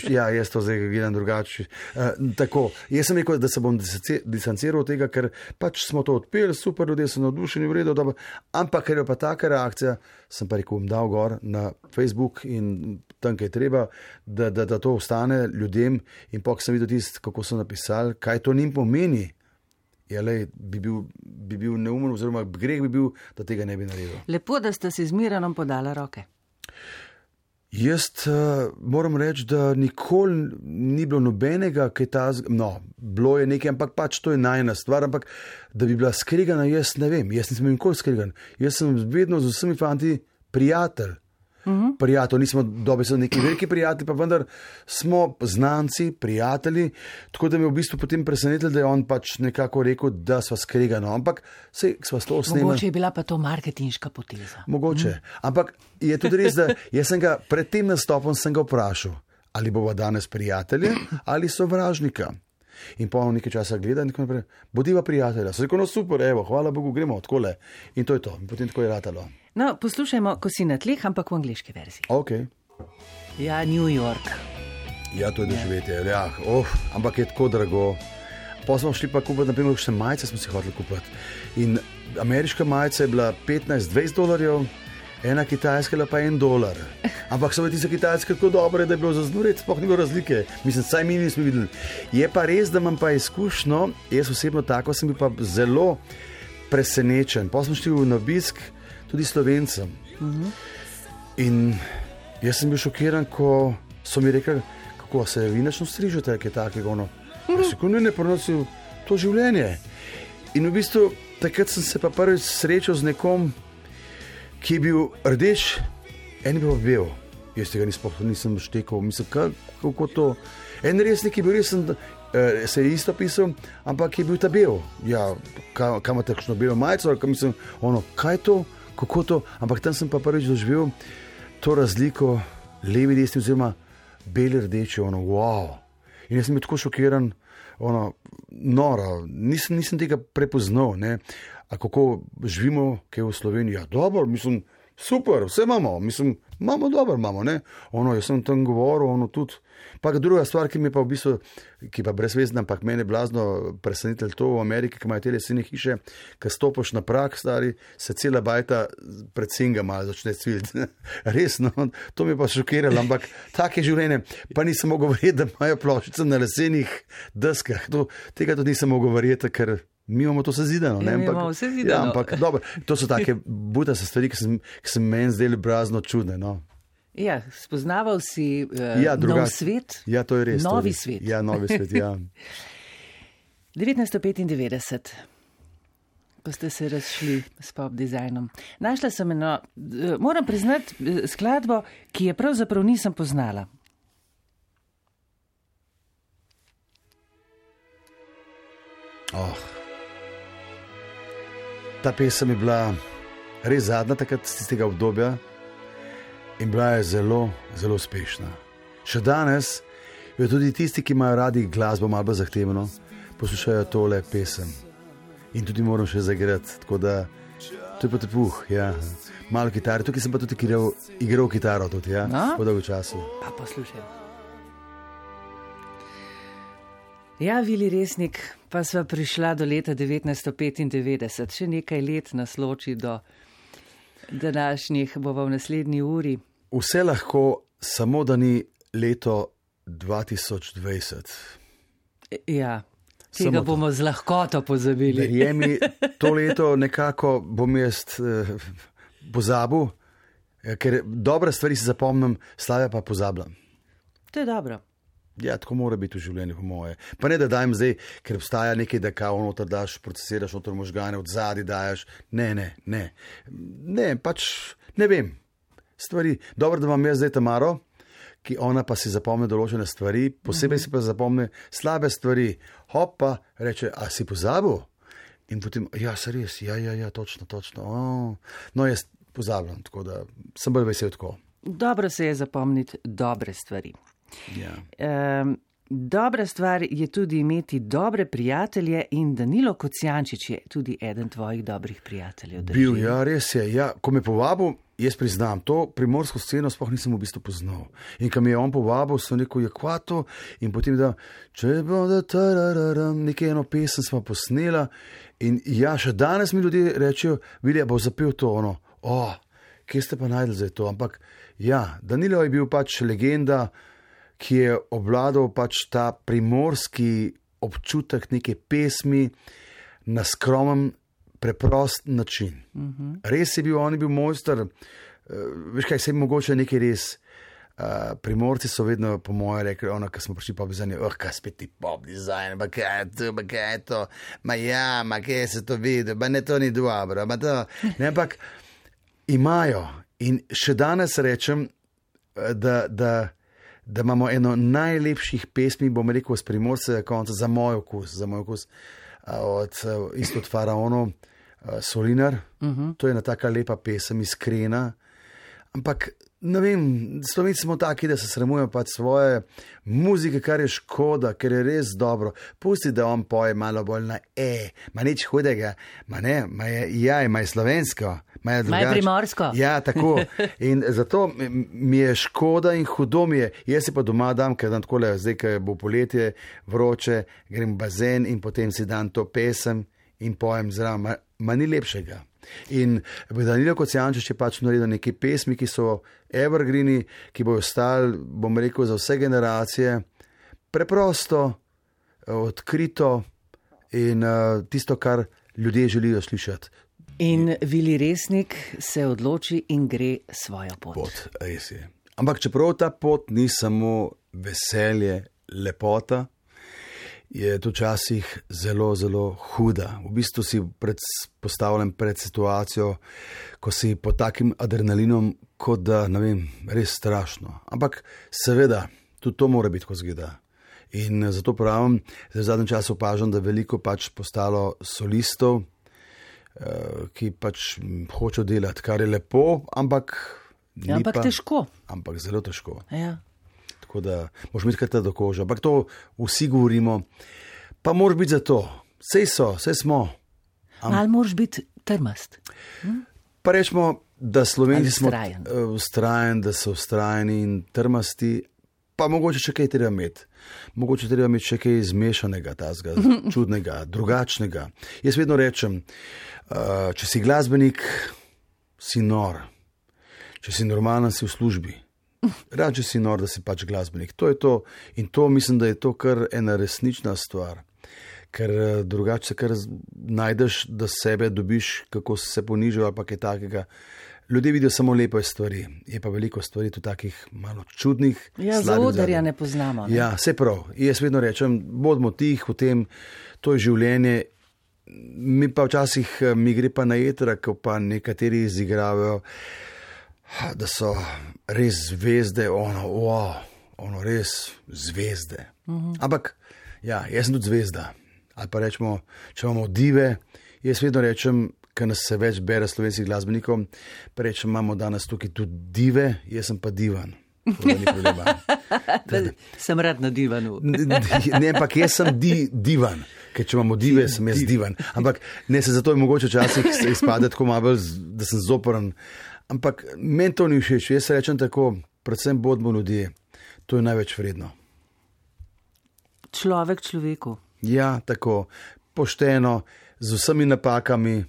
Speaker 3: ja, jaz to zdaj gledam drugače. Uh, tako, jaz sem rekel, da se bom distanciral od tega, ker pač smo to odpeli, super, ljudje so navdušeni, v redu, dobro, ampak ker je pa taka reakcija, sem pa rekel, bom dal gor na Facebook in tam, kaj je treba, da, da, da to ostane ljudem in pa, ko sem videl tist, kako so napisali, kaj to njim pomeni. Ja, lej, bi bil, bi bil neumen, oziroma greh bi bil, da tega ne bi naredil.
Speaker 2: Lepo, da ste si z Miranom podala roke.
Speaker 3: Jaz uh, moram reči, da nikoli ni bilo nobenega, kaj ta, no, bilo je nekaj, ampak pač to je najna stvar, ampak da bi bila skregana, jaz ne vem, jaz nisem nikoli skregan. Jaz sem vedno z vsemi fanti prijatelj. Uh-huh. Prijatelj, nismo dobi so neki veliki prijatelji, pa vendar smo znanci, prijatelji, tako da me v bistvu potem presenetili, da je on pač nekako rekel, da sva skregano, ampak sej sva s to snemali.
Speaker 2: Mogoče je bila pa to marketinška poteza.
Speaker 3: Mogoče, uh-huh. Ampak je tudi res, da jaz sem ga pred tem nastopom sem ga vprašal, ali bova danes prijatelje ali sovražnika. In pa on nekaj časa gleda in tako naprej, bodiva prijatelja. So rekel, no super, evo, hvala Bogu, gremo odkole. In to je to. In potem tako je ratalo.
Speaker 2: No, poslušajmo, ko si na tleh, ampak v angliški verziji.
Speaker 3: Ok.
Speaker 2: Ja, New York.
Speaker 3: Ja, to je doživetje. Ja, oh, ampak je tako drago. Pa smo šli pa kupiti, naprimer, še majice smo si hoteli kupiti. In ameriška majica je bila petnajst dvajset dolarjev, ena kitajska je pa en dolar. Ampak so bile tiste kitajske tako dobre, da je bilo za znuriti, sploh ni bilo razlike. Mislim, saj mi nismo videli. Je pa res, da imam pa izkušnjo, jaz osebno tako sem bil pa zelo presenečen. Pa smo šli na obisk tudi Slovencem. Uh-huh. In jaz sem bil šokiran, ko so mi rekli, kako se vi načno strižete, kaj takega, ono. Uh-huh. Jaz sem ne prenosil to življenje. In v bistvu takrat sem se pa prvič srečal z nekom, ki je bil rdeč, en je bil bel. Jaz tega nisem štekal, mislim, kako to. En resnik je bil resen, eh, se je isto pisal, ampak je bil ta bel. Ja, kam ima takšno belo majico, ali mislim, ono, kaj to, kako to, ampak tam sem pa prvič doživel to razliko, levi, desni, oziroma beli, rdeči, ono, wow. In jaz sem bil tako šokiran, ono, noro, nisem, nisem tega prepoznal, ne. A kako živimo, kaj v Sloveniji, ja, dobro, mislim, super, vse imamo, mislim, imamo dobro, imamo, ne. Ono, jaz sem tam govoril, ono tudi. Pa druga stvar, ki mi pa v bistvu, ki pa brezvezna, ampak mene blazno presenitelj to v Ameriki, ki imajo te lesene hiše, ko stopiš na prag, stari, se cela bajta predvsem ga malo začne cviliti. Res, no, to mi je pa šokiralo, ampak tak je življenje. Pa nisem mogel verjeti, da imajo ploščice na lesenih deskah. To, tega tudi nisem mogel verjeti, ker mi imamo to sezidano.
Speaker 2: Ja, mi imamo vse zidano.
Speaker 3: Ja, ampak dobro, to so take butaste stvari, ki sem, ki sem meni zdeli blazno čudne, no.
Speaker 2: Ja, spoznaval si uh,
Speaker 3: ja,
Speaker 2: nov svet,
Speaker 3: ja, to je res,
Speaker 2: novi
Speaker 3: to je res.
Speaker 2: svet.
Speaker 3: Ja, novi svet, ja.
Speaker 2: devetnajststo petindevetdeset, ko ste se razšli s pop dizajnom. Našla sem eno, uh, moram priznati, uh, skladbo, ki je pravzaprav nisem poznala.
Speaker 3: Oh. Ta pesem je bila res zadnja takrat z tistega obdobja. In bila je zelo, zelo uspešna. Še danes jo tudi tisti, ki imajo radi glasbo malo bolj zahtevno, poslušajo tole pesem. In tudi moram še zaigrati, tako da to je pa tepuh, ja. Malo kitare, tukaj sem pa tudi igral, igral kitaro tudi, ja,
Speaker 2: no?
Speaker 3: Po dolgo času.
Speaker 2: Pa poslušaj. Ja, Vili Resnik, pa sva prišla do leta devetnajststo petindevetdeset, še nekaj let nas loči do današnjih, bova v naslednji uri.
Speaker 3: Vse lahko, samo da ni leto dva tisoč dvajset.
Speaker 2: Ja, tega samo bomo to z lahkoto pozabili.
Speaker 3: Verjemi, to leto nekako bom jaz eh, pozabil, ker dobre stvari si zapomnim, slave pa pozabljam.
Speaker 2: To je dobro.
Speaker 3: Ja, tako mora biti v življenju, po moje. Pa ne, da dajem zdaj, ker obstaja nekaj, da kao noter daš, procesiraš noter možgane, od zadaj dajaš. Ne, ne, ne. Ne, pač ne vem. Stvari. Dobro, da imam jaz zdaj Tamaro, ki ona pa si zapomne določene stvari, posebej mm-hmm. si pa zapomne slabe stvari. Hopa, reče, a si pozabil? In potem, ja, se res, ja, ja, ja, točno, točno. Oh. No, jaz pozabljam, tako da sem bolj vesel tako.
Speaker 2: Dobro se je zapomniti dobre stvari.
Speaker 3: Ja.
Speaker 2: Um, dobra stvar je tudi imeti dobre prijatelje in Danilo Kocijančič je tudi eden tvojih dobrih prijateljev. Drži?
Speaker 3: Bil, ja, res je. Ja, ko me povabil, jaz priznam, to primorsko sceno sploh nisem v bistvu poznal. In ko mi je on povabil, sem rekel, je kvato in potem da, če bo da tarararam, nekaj eno pesem smo posnela in ja, še danes mi ljudje rečejo, Vilija bo zapel to ono, o, oh, kje ste pa najdel zdaj to, ampak ja, Danilo je bil pač legenda, ki je obvladal pač ta primorski občutek neke pesmi na skromen, preprost način. Uh-huh. Res je bil, on je bil mojster, uh, veš kaj, se je mogoče nekaj res. Uh, primorci so vedno po moje rekli, ono, ko smo prišli pop dizajn, oh, kaj spet ti pop dizajn, ma kaj je to, ma kaj je to, ma ja, ma kaj se to vidi, ma ne, to ni dobro, ma to, ne, ampak imajo in še danes rečem, da, da da imamo eno najlepših pesmi, bom rekel, z Primorskega konca, za moj okus, za moj okus, od, isto od Faraonov, Solinar. Uh-huh. To je ena taka lepa pesem, iskrena. Ampak, ne vem, Slovenci smo taki, da se sramujemo pač svoje muzike, kar je škoda, ker je res dobro. Pusti, da on poje malo bolj na e, ma nič hudega, ma ne, ma je jaj, ma je slovensko. Maj
Speaker 2: primorsko.
Speaker 3: Ja, tako. In zato mi je škoda in hudo mi je. Jaz si pa doma dam, ker dan takole, zdaj, ker bo poletje, vroče, grem v bazen in potem si dan to pesem in pojem zraven. Ma, ma ni lepšega. In Danilo Kocijančič je pač naredil neke pesmi, ki so evergreeni, ki bojo ostali, bom rekel, za vse generacije. Preprosto, odkrito in uh, tisto, kar ljudje želijo slišati.
Speaker 2: In Vili Resnik se odloči in gre svojo pot.
Speaker 3: pot. Res je. Ampak čeprav ta pot ni samo veselje, lepota, je to včasih zelo, zelo huda. V bistvu si pred, postavljen pred situacijo, ko si pod takim adrenalinom, kot da, ne vem, res strašno. Ampak seveda, tudi to mora biti, ko zgleda. In zato pravim, da v zadnjem času opažam, da veliko pač postalo solistov, ki pač hočejo delati, kar je lepo, ampak
Speaker 2: ja, ampak
Speaker 3: pa,
Speaker 2: težko.
Speaker 3: Ampak zelo težko.
Speaker 2: Ja.
Speaker 3: Tako da moraš imeti kar do kože. Ampak to vsi govorimo. Pa moraš biti za to. Sej so, sej smo.
Speaker 2: Am... Ali moraš biti trmast? Hm?
Speaker 3: Pa rečemo, da Slovenci smo
Speaker 2: vztrajen.
Speaker 3: vztrajen, da so vztrajeni in trmasti, pa mogoče še kaj treba imeti. Mogoče treba imeti še kaj izmešanega, tazga, čudnega, drugačnega. Jaz vedno rečem, uh, če si glasbenik, si nor. Če si normalen, si v službi. Rad, če si nor, da si pač glasbenik. To je to. In to mislim, da je to kar ena resnična stvar. Ker drugače se kar najdeš, da sebe dobiš, kako se ponižal ali pa kaj takega. Ljudje vidijo samo lepe stvari, je pa veliko stvari tudi takih malo čudnih.
Speaker 2: Ja, za odarja ne poznamo. Ne?
Speaker 3: Ja, vse prav. Jaz vedno rečem, bodimo tih v tem, to je življenje. Mi pa včasih mi gre pa na jetra, ko pa nekateri izigravajo, da so res zvezde, ono, wow, ono res zvezde. Uh-huh. Ampak, ja, jaz sem tudi zvezda. Ali pa rečemo, če imamo dive, jaz vedno rečem, ker nas se več bere slovenskih glasbenikov, pa rečem, imamo danes tukaj tudi dive, jaz sem pa divan.
Speaker 2: Sem rad na divanu.
Speaker 3: Ne, ampak jaz sem di, divan, ker če imamo dive, sem jaz divan. Ampak ne, se zato je mogoče včasih izpade tako malo, da sem zoporen. Ampak meni to ni všeč, jaz rečem tako, predvsem bodimo ljudje, to je največ vredno.
Speaker 2: Človek človeku.
Speaker 3: Ja, tako, pošteno, z vsemi napakami,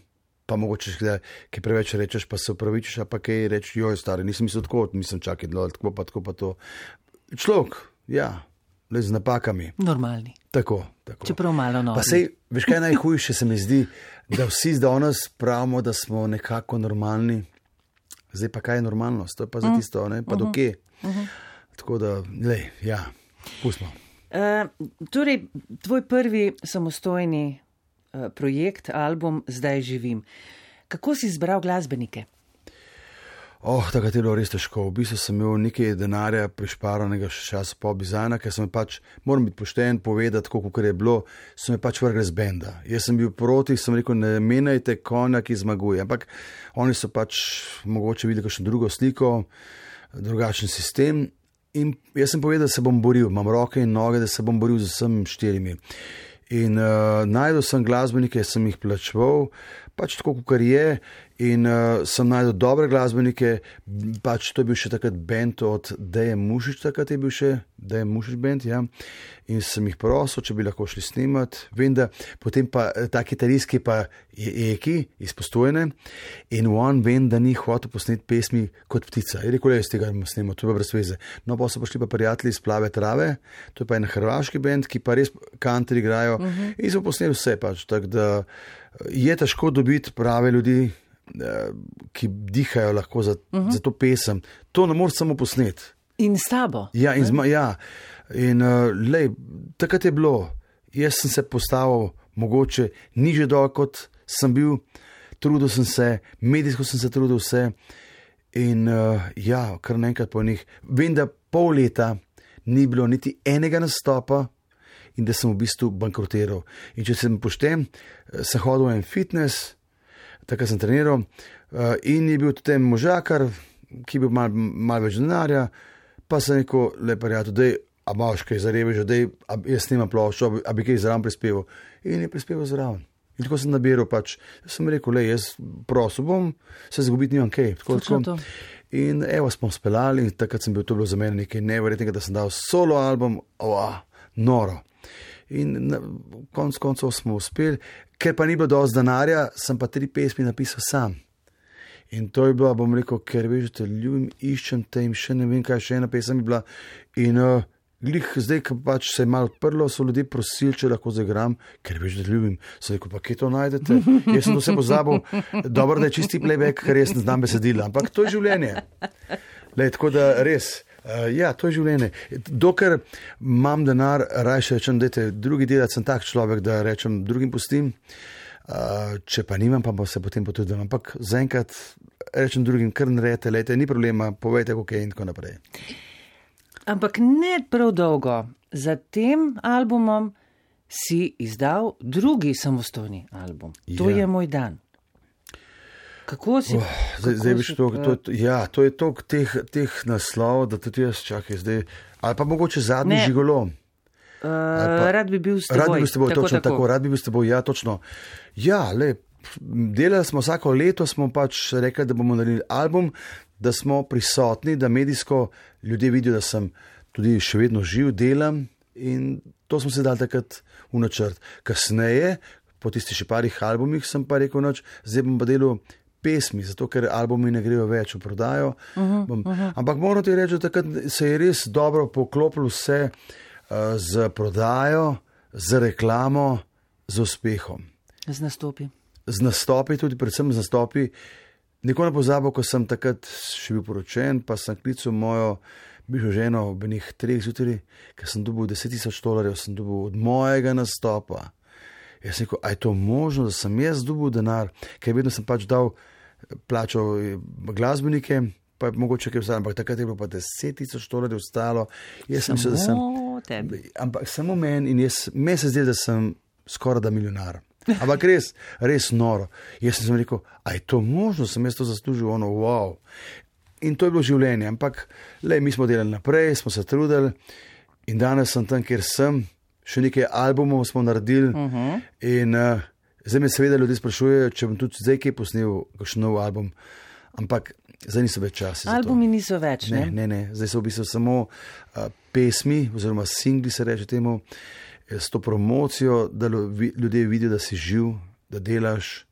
Speaker 3: pa mogoče, ki preveč rečeš, pa se upravičiš, a pa kaj reči, joj, stari, nisem mislil tako, nisem čakal, tako pa, tako pa to. Človek, ja, le z napakami.
Speaker 2: Normalni.
Speaker 3: Tako, tako.
Speaker 2: Čeprav malo novi.
Speaker 3: Pa sej, veš kaj najhujše se mi zdi, da vsi danes pravimo, da smo nekako normalni. Zdaj pa kaj je normalnost, to je pa za tisto, ne, pa uh-huh. do kje. Uh-huh. Tako da, lej, ja, pustimo.
Speaker 2: Uh, torej, tvoj prvi samostojni uh, projekt, album Zdaj živim. Kako si izbral glasbenike?
Speaker 3: Oh, takrat je bilo res težko. V bistvu sem imel nekaj denarja prišparanega še časa pop dizajna, ker sem pač, moram biti pošten, povedati, koliko je bilo, sem me pač vrgel z benda. Jaz sem bil proti, sem rekel, ne menjajte konja, ki zmaguje. Ampak oni so pač mogoče videli kakšno drugo sliko, drugačen sistem. In jaz sem povedal, da se bom boril, imam roke in noge, da se bom boril z vsem štirimi. In uh, najdel sem glasbenike, sem jih plačeval, pač tako, kot je, in uh, sem najdel dobre glasbenike, pač to je bil še takrat band od Deje Mušič, takrat je bil še Deje Mušič band, ja, in sem jih prosil, če bi lahko šli snimat. Vem, da potem pa ta kitarist, ki pa je Eki iz Postojne, in on vem, da ni hotel posneti pesmi kot ptica. Je rekel, jaz tega ne snimam, to je pa brez veze. No, pa so prišli pa prijatelji iz Plave trave, to je pa en hrvaški band, ki pa res country igrajo, uh-huh. in so posneli vse pač, tako da je težko dobiti prave ljudi, ki dihajo lahko za, uh-huh. za to pesem. To ne moreš samo posneti.
Speaker 2: In s tabo.
Speaker 3: Ja, in, zma, ja. in uh, lej, takrat je bilo, jaz sem se postavil mogoče niže dol, kot sem bil, trudil sem se, medijsko sem se trudil vse in uh, ja, kar naenkrat po njih. Vem, da pol leta ni bilo niti enega nastopa in da sem v bistvu bankrotiral. In če sem pošten, sem hodil v en fitness, takrat sem treniral uh, in je bil tudi možakar, ki je bil malo mal več denarja, pa sem rekel, le prijatelj, dej, a imaš kaj zarevež, dej, a jaz snimam ploščo, a bi kaj zraven prispeval. In je prispeval zraven. In tako sem nabiral pač, sem rekel, le, jaz prosil bom, se zgubiti nimam kaj. Tako, tako. In evo smo speljali in takrat sem bil, to bilo za mene nekaj neverjetnega, da sem dal solo album, oa, noro. In na konc koncov smo uspeli, ker pa ni bilo dosti denarja, sem pa tri pesmi napisal sam. In to je bilo, bom rekel, ker veš, te ljubim, iščem te in še ne vem, kaj še ena pesem je bila. In uh, glih zdaj, ko pač se je malo odprlo, so ljudje prosili, če lahko zagram, ker veš, da te ljubim. So rekel, pa kje to najdete? Jaz sem to vse pozabil, dobro, da je čisti playback, ker jaz ne znam besedila, ampak to je življenje. Lej, tako da res, uh, ja, to je življenje. Dokler imam denar, rajše rečem, dajte drugi delati, sem tak človek, da rečem, drugim pustim. Uh, če pa nimam, pa se potem potrudim. Ampak zaenkrat rečem drugim, kar naredite, lejte, ni problema, povejte, kako je in tako naprej.
Speaker 2: Ampak ne prav dolgo. Za tem albumom si izdal drugi samostojni album. To ja. je Moj dan. Kako si?
Speaker 3: Oh, zdaj, zdaj si to, to, to, ja, to je toliko teh, teh naslov, da tudi jaz čakaj zdaj. Ali pa mogoče zadnji ne. Žigolo.
Speaker 2: Uh, pa, rad bi bil s teboj.
Speaker 3: Rad bi bil s teboj, tako, točno tako. tako. Rad bi bil s teboj, ja, točno. Ja, le, delali smo vsako leto, smo pač rekli, da bomo naredili album, da smo prisotni, da medijsko ljudje vidijo, da sem tudi še vedno živ, delam in to smo se dali takrat v načrt. Kasneje, po tistih še parih albumih, sem pa rekel, noč, zdaj bom pa delal pesmi, zato ker albumi ne grejo več v prodajo. Uh-huh, bom, uh-huh. Ampak moram ti reči, da takrat se je res dobro poklopilo vse uh, z prodajo, z reklamo, z uspehom.
Speaker 2: Z nastopi.
Speaker 3: Z nastopi, tudi predvsem z nastopi. Nikoli ne pozabil, ko sem takrat še bil poročen, pa sem klical mojo bivšo ženo ob enih treh zjutraj, ker sem dobil deset tisoč dolarjev, sem dobil od mojega nastopa. Jaz sem rekel, a je to možno, da sem jaz dobil denar, ker vedno sem pač dal plačal glasbenike, pa je mogoče kaj vstalo, ampak takrat je bilo pa deset tisoč dolarjev ostalo.
Speaker 2: Samo
Speaker 3: se, sem,
Speaker 2: tebi.
Speaker 3: Ampak samo meni in jaz, meni se zdi, da sem skoraj da milijonar. Ampak res, res noro. Jaz sem rekel, a je to možno, sem jaz to zaslužil, ono, wow. In to je bilo življenje, ampak lej, mi smo delali naprej, smo se trudili in danes sem tam, kjer sem, še nekaj albumov smo naredili uh-huh. in uh, zdaj me seveda ljudje sprašujejo, če bom tudi zdaj kaj posnel, kakšen nov album, ampak zdaj niso več časi.
Speaker 2: Albumi niso več,
Speaker 3: ne? Ne, ne, ne. Zdaj so v bistvu samo uh, pesmi, oziroma singli se reče temu, s to promocijo, da ljudje vidijo, da si živ, da delaš,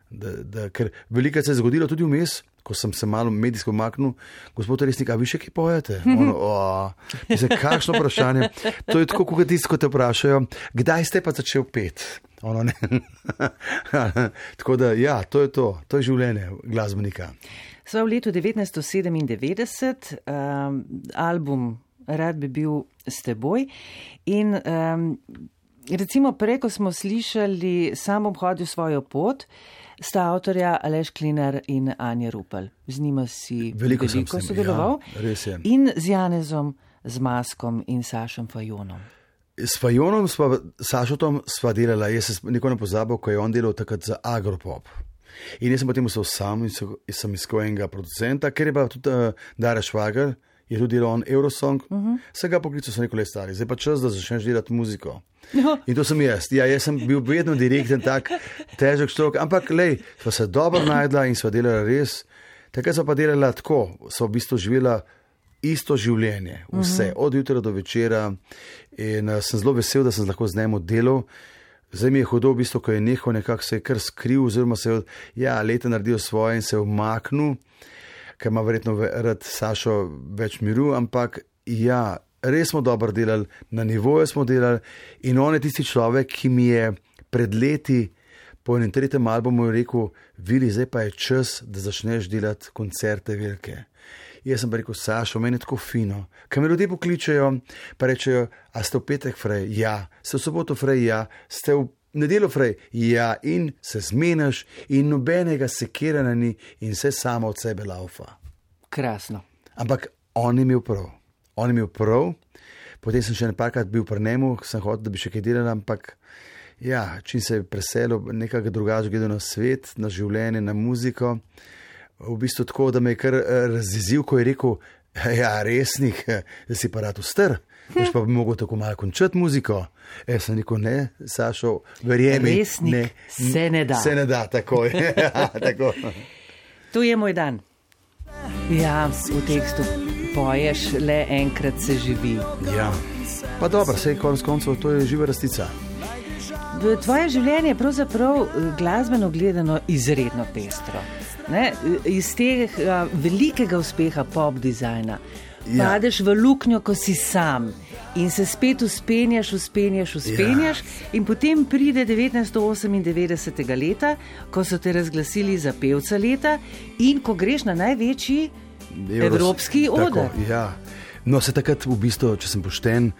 Speaker 3: da, da, ker veliko se je zgodilo tudi vmes, ko sem se malo medijsko maknil, gospod Resnik, a vi še kaj pojete? Ono, oh, mislim, kakšno vprašanje? To je tako, kot tisto, ko te vprašajo, kdaj ste pa začel pet? Ono, ne. Tako da, ja, to je to, to je življenje glasbenika.
Speaker 2: Sva v letu devetnajststo sedemindevetdeset, um, album Rad bi bil s teboj in um, recimo prej, ko smo slišali Sam obhodil svojo pot, sta avtorja Aleš Klinar in Anja Rupel. Z njima si veliko, veliko sodeloval.
Speaker 3: Ja,
Speaker 2: in z Janezom, z Maskom in Sašom Fajonom.
Speaker 3: S Fajonom, sva, Sašotom sva delala, jaz sem nikoli ne pozabil, ko je on delal takrat za Agropop. In jaz sem potem ustal sam in sem iskal enega producenta, ker je pa tudi uh, Dara Švager, je tudi delal on Eurosong, uh-huh. se ga poklical, sem rekel, le stari, zdaj pa čas, da začneš delati muziko. No. In to sem jaz. Ja, jaz sem bil vedno direkten, tak težek štrok, ampak lej, sva se dobro najdla in sva delala res. Takrat sva pa delala tako, sva v bistvu živela isto življenje, vse, uh-huh. od jutra do večera in uh, sem zelo vesel, da sem lahko z njim delal. Zdaj mi je hudo v bistvu, ko je nehal nekako se je kar skril, oziroma se je ja, leta naredil svoje in se je umaknil, ker ima verjetno rad Sašo več miru, ampak ja, res smo dobro delali, na nivoju smo delali in on je tisti človek, ki mi je pred leti po enem tretjem albumu rekel, Vili, zdaj pa je čas, da začneš delati koncerte velike. Jaz sem pa rekel, Sašo, meni je tako fino, ker me ljudje pokličejo, pa rečejo, a ste v petek frej? Ja. Ste v soboto frej? Ja. Ste v nedeljo frej? Ja. In se zmeniš in nobenega sekiranja ni in vse samo od sebe laufa.
Speaker 2: Krasno.
Speaker 3: Ampak on je imel prav. On je imel prav. Potem sem še nekajkrat bil pri njemu, sem hotel, da bi še kaj delal, ampak ja, čim se je preselil, nekako drugače gledal na svet, na življenje, na muziko. V bistvu tako, da me je kar razjezil, ko je rekel, ja, Resnik, da si pa rad ustar, boš pa bi mogel tako malo končati muziko. E, sem rekel, ne, Sašo, verjemi.
Speaker 2: Resnik ne, se ne da.
Speaker 3: Se ne da, tako je. Tako.
Speaker 2: To je moj dan. Ja, v tekstu poješ, le enkrat se živi.
Speaker 3: Ja, pa dobro, sej konec koncev, to je živa rastica.
Speaker 2: Tvoje življenje je pravzaprav glasbeno gledano izredno pestro. Ne? Iz tega velikega uspeha pop dizajna ja. Padeš v luknjo, ko si sam in se spet uspenjaš, uspenjaš, uspenjaš ja. In potem pride devetnajststo osemindevetdesetega leta, ko so te razglasili za pevca leta in ko greš na največji Evros, evropski oder.
Speaker 3: Ja. No, se takrat v bistvu, če sem pošten,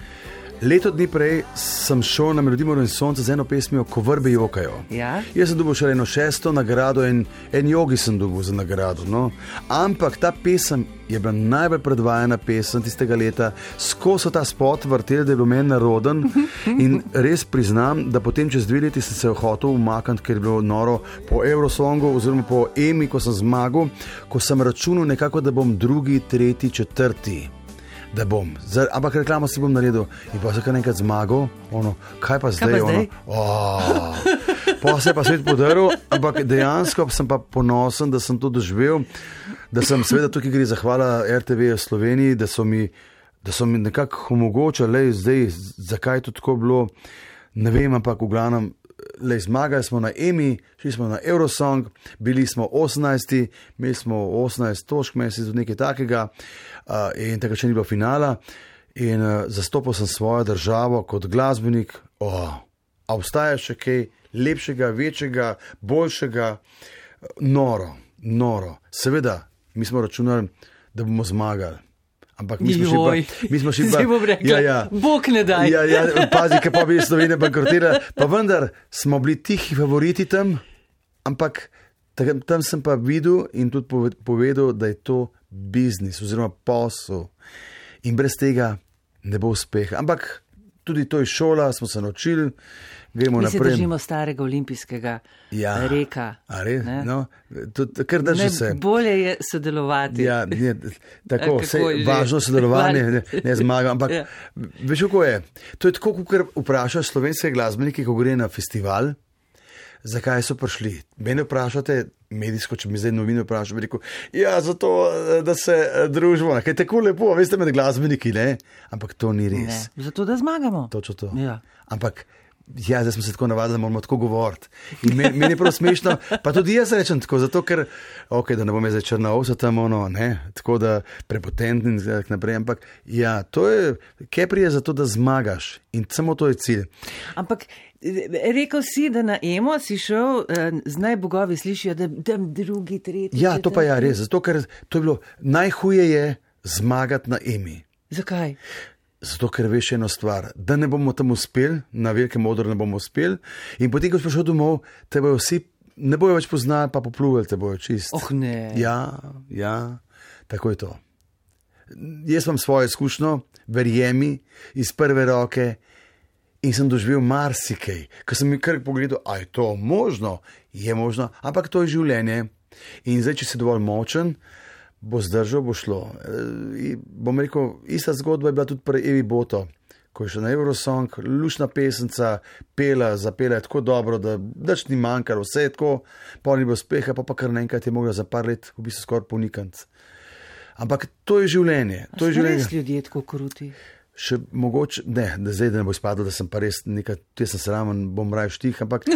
Speaker 3: leto dni prej sem šel na Melodijo Mora in sonce z eno pesmijo, Ko vrbe jokajo.
Speaker 2: Ja?
Speaker 3: Jaz sem dobil še eno šesto nagrado in en jogi sem dobil za nagrado. No? Ampak ta pesem je bila najbolj predvajana pesem tistega leta. Skozi ta spot vrtel, da je bil meni naroden in res priznam, da potem čez dve leti sem se hotel umakniti, ker je bilo noro po Eurosongu oziroma po Emi, ko sem zmagal, ko sem računal nekako, da bom drugi, tretji, četrti. da bom. Zdaj, ampak reklamo si bom naredil in pa se kar nekaj zmagal, ono, kaj pa zdaj?
Speaker 2: Kaj pa zdaj?
Speaker 3: Ono, oh, pa se je pa svet podaril, ampak dejansko sem pa ponosen, da sem to doživel, da sem seveda tukaj gre zahvala R T V Sloveniji, da so mi, da so mi nekako omogočali, zdaj, zakaj je to tako bilo, ne vem, ampak v glavnem, lej, zmagali smo na Emmy, šli smo na Eurosong, bili smo osemnajsti, imeli smo osemnajst točk, mesec do nekaj takega uh, in takrat še ni bilo finala in uh, zastopal sem svojo državo kot glasbenik. Oh, a obstaja še kaj lepšega, večjega, boljšega? Noro, noro. Seveda, mi smo računali, da bomo zmagali. Ampak mi smo
Speaker 2: Joj,
Speaker 3: še pa, mi smo še pa,
Speaker 2: rekla,
Speaker 3: ja, ja,
Speaker 2: Bog ne daj.
Speaker 3: Ja, ja, pazi, kaj pa bi Slovenija bankrotirala, pa vendar smo bili tihi favoriti tam, ampak tam, tam sem pa videl in tudi povedal, da je to biznis oziroma posel in brez tega ne bo uspeha. Ampak tudi to je šola, smo se naučili, gremo
Speaker 2: mi
Speaker 3: naprej.
Speaker 2: Mi se držimo starega olimpijskega
Speaker 3: ja,
Speaker 2: reka.
Speaker 3: A res? No, to, kar drži se.
Speaker 2: Bolje je sodelovati.
Speaker 3: Ja, je, tako, vse važno sodelovanje, ne, ne zmaga, ampak ja. Veš, kako je? To je tako, kot vprašaš slovenske glasbenike, ko gre na festival, zakaj so prišli. Mene vprašate, medijsko, če mi zdaj novine vprašam, bi rekel, ja, zato, da se družimo, kaj je tako lepo, veste, med glasbeniki, ne? Ampak to ni res.
Speaker 2: Ne, zato, da zmagamo.
Speaker 3: Točno to.
Speaker 2: Ja.
Speaker 3: Ampak ja, zdaj smo se tako navadili, da moramo tako govoriti. In meni, meni je prav smešno, pa tudi jaz rečem tako, zato ker, ok, da ne bom jaz zdaj črna ovsa tam, ono, ne, tako da prepotentni in tako naprej, ampak ja, to je, Kepri je zato, da zmagaš in samo to je cilj.
Speaker 2: Ampak rekel si, da na Emo si šel, zdaj bogovi slišijo, da tam drugi, tretji.
Speaker 3: Ja, to pa je ja, res, zato ker to je bilo, najhuje je zmagati na Emi.
Speaker 2: Zakaj?
Speaker 3: Zato, ker veš eno stvar, da ne bomo tam uspeli, na velikem odru ne bomo uspeli in potem, ko si prišel domov, te bojo vsi, ne bojo več poznali, pa popluvali te bojo čist.
Speaker 2: Oh ne.
Speaker 3: Ja, ja, tako je to. Jaz imam svojo izkušnjo, verjemi, iz prve roke in sem doživel marsikaj, ko sem mi kar pogledal, a je to možno? Je možno, ampak to je življenje in zdaj, če si dovolj močen, bo zdržal, bo šlo. E, bom rekel, ista zgodba je bila tudi pri Evi Boto, ko je še na Eurosong, lušna pesenca, pela, zapela je tako dobro, da dač ni manjkalo, vse je tako, pa ni bilo uspeha, pa pa kar naenkrat je mogla za par let v bistvu skoraj ponikant. Ampak to je življenje. To je življenje.
Speaker 2: A so res ljudje tako kruti?
Speaker 3: Še mogoče, ne, da zdaj da ne bo izpadlo, da sem pa res nekaj, te sem sramen, bom raje štih, ampak uh,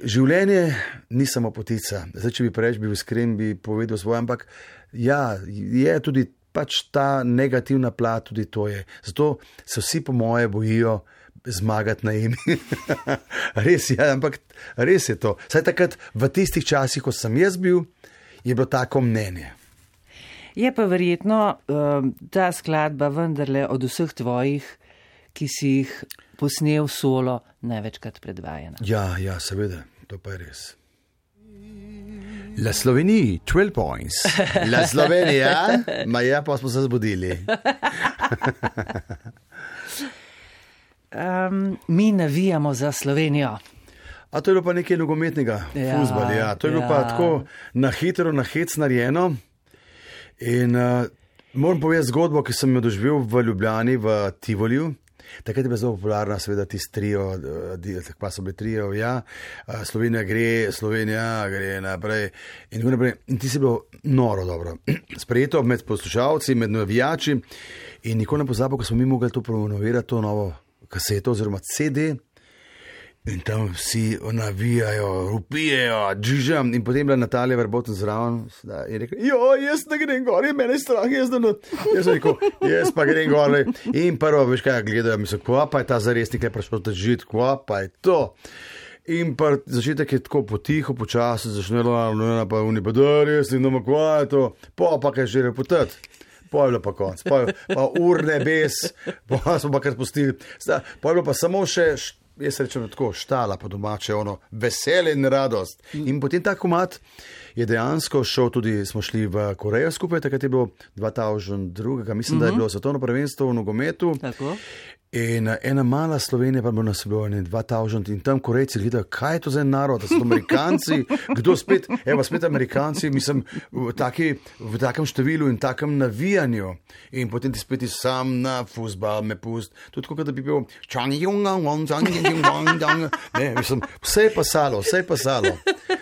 Speaker 3: življenje ni samo potica. Zdaj, če bi preč, bi iskren, bi povedal svoje, ampak ja, je tudi pač ta negativna plat, tudi to je. Zato se vsi po moje bojijo zmagati na Emi. Res je, ampak res je to. Saj takrat v tistih časih, ko sem jaz bil, je bilo tako mnenje.
Speaker 2: Je pa verjetno uh, ta skladba vendarle od vseh tvojih, ki si jih posnel solo, največkrat predvajana.
Speaker 3: Ja, ja, seveda, to pa je res.
Speaker 4: La Slovenija, twelve points.
Speaker 3: La Slovenija, ma ja, pa smo se zbudili.
Speaker 2: um, mi navijamo za Slovenijo.
Speaker 3: A to je bilo pa nekaj nogometnega,
Speaker 2: ja,
Speaker 3: fuzbal, ja. To je bilo ja. pa tako na hitro, na hec narejeno. In uh, moram povedati zgodbo, ki sem jo doživel v Ljubljani, v Tivoliju. Takrat je bila zelo popularna, seveda, tisti trio, pa so bili trio, ja, Slovenija gre, Slovenija gre naprej. In, naprej. In ti si bilo noro dobro. Sprejeto med poslušalci, med navijači. In nikoli ne pozabo, ko smo mi mogli to promovirati, to novo kaseto oziroma C D. In tam vsi navijajo, rupijejo, džižam. In potem je bila Natalija Verboten zraven in rekel, jo, jaz ne grem gor, je mene strah, jaz ne. Jaz sem rekel, jaz pa grem gor. In prvo, veš kaj, gledajo, mislijo, kva pa je ta zaresnik, je prišel ta žit, kva pa je to. In pa začetek je tako potiho, počasi, začnelo, pa oni pa da, res, in doma, kva je to, pa pa kaj že reputati. Pa je bilo pa konc, pa, pa urne bes, pa smo pa kar spustili. Pa je bilo pa samo še, jaz rečem tako, štala po domače, ono, veselje in radost. In potem ta komad je dejansko šel tudi, smo šli v Korejo skupaj, takrat je bilo dva tisoč dva, mislim, mm-hmm. da je bilo svetovno prvenstvo v nogometu.
Speaker 2: Tako.
Speaker 3: In ena mala Slovenija pa bo nas bilo ne dva tisoč in tam Korejci gledajo, kaj je to za en narod, da so to Amerikanci, kdo spet, evo spet Amerikanci, mislim, v, taki, v takem številu in takem navijanju. In potem ti spet sam na fuzbal me pust, tudi kot da bi bil ne, mislim, vse je pasalo, vse je pasalo.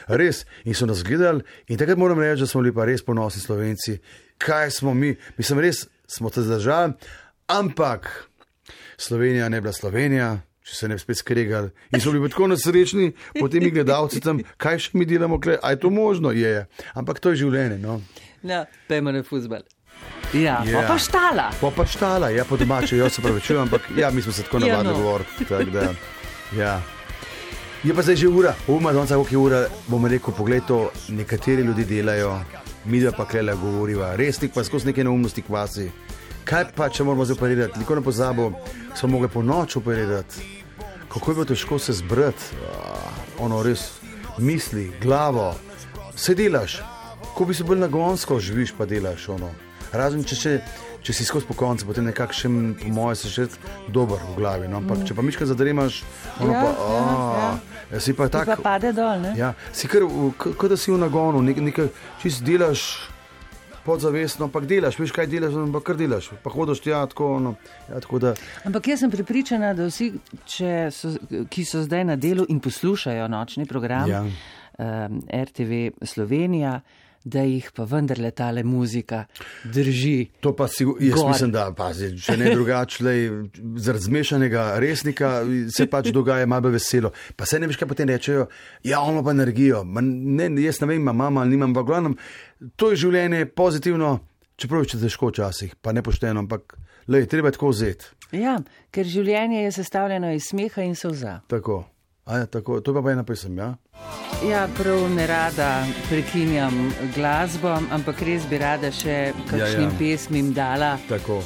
Speaker 3: Res, in so nas gledali in takrat moram reči, da smo bili pa res ponosni Slovenci, kaj smo mi, mislim, res smo te zdržali, ampak Slovenija ne bila Slovenija, če se ne bi spet skregali. In so bili tako nesrečni, potem mi gledalci tam, kaj še mi delamo, a je to možno? Je, je. Ampak to je življenje. No,
Speaker 2: no pejmo na fuzbal. Ja,
Speaker 3: ja.
Speaker 2: Pa štala.
Speaker 3: Pa pa štala, ja, po domače, jaz se pravičujem, ampak ja, mi smo se tako navadili
Speaker 2: ja, no.
Speaker 3: govoriti. Tak, da, ja. Je pa zdaj že ura, uma, donca, koliko je ura, bom rekel, pogled to, nekateri ljudi delajo, mi da pa klela govoriva, resnik pa skozi neke neumnosti kvasi. Kaj pa, če moramo zdaj operirati? Nikoli ne pozabo, smo mogli po noč operirati. Kako je bilo težko se zbrati? Ono res, misli, glavo, se delaš. Ko bi se bolj nagonsko živiš, pa delaš. Ono. Razen, če, če, če si skozi po koncu, potem nekak še, po moje, se še dober v glavi. No? Ampak, če pa miška zadremaš, ono
Speaker 2: ja,
Speaker 3: pa,
Speaker 2: ja,
Speaker 3: ja. Si pa tak...
Speaker 2: Pa pade dol, ne?
Speaker 3: Ja, si kar, kar da si v nagonu, nekaj, nekaj čist delaš... podzavestno, ampak delaš, veš kaj delaš, ampak kar delaš, pa hodiš tja, tako, no, ja, tako da...
Speaker 2: Ampak jaz sem prepričana, da vsi, če so, ki so zdaj na delu in poslušajo nočni program ja. um, R T V Slovenija, da jih pa vendarle tale muzika drži.
Speaker 3: To pa si, jaz gor. Mislim, da pazi, če ne drugače, zaradi zmešanega resnika se pač dogaja malo veselo. Pa se ne veš, kaj potem rečejo, ja, ono pa energijo. Ma ne, jaz ne vem, imam mama ali nimam, pa glavnem, to je življenje pozitivno, čeprav je težko včasih, pa nepošteno, ampak lej, treba je tako vzeti.
Speaker 2: Ja, ker življenje je sestavljeno iz smeha in solza.
Speaker 3: Tako. A ja, tako, to pa pa ena pesem, ja?
Speaker 2: Ja, prav ne rada prekinjam glasbo, ampak res bi rada še kakšnim ja, ja. pesmim dala.
Speaker 3: Tako.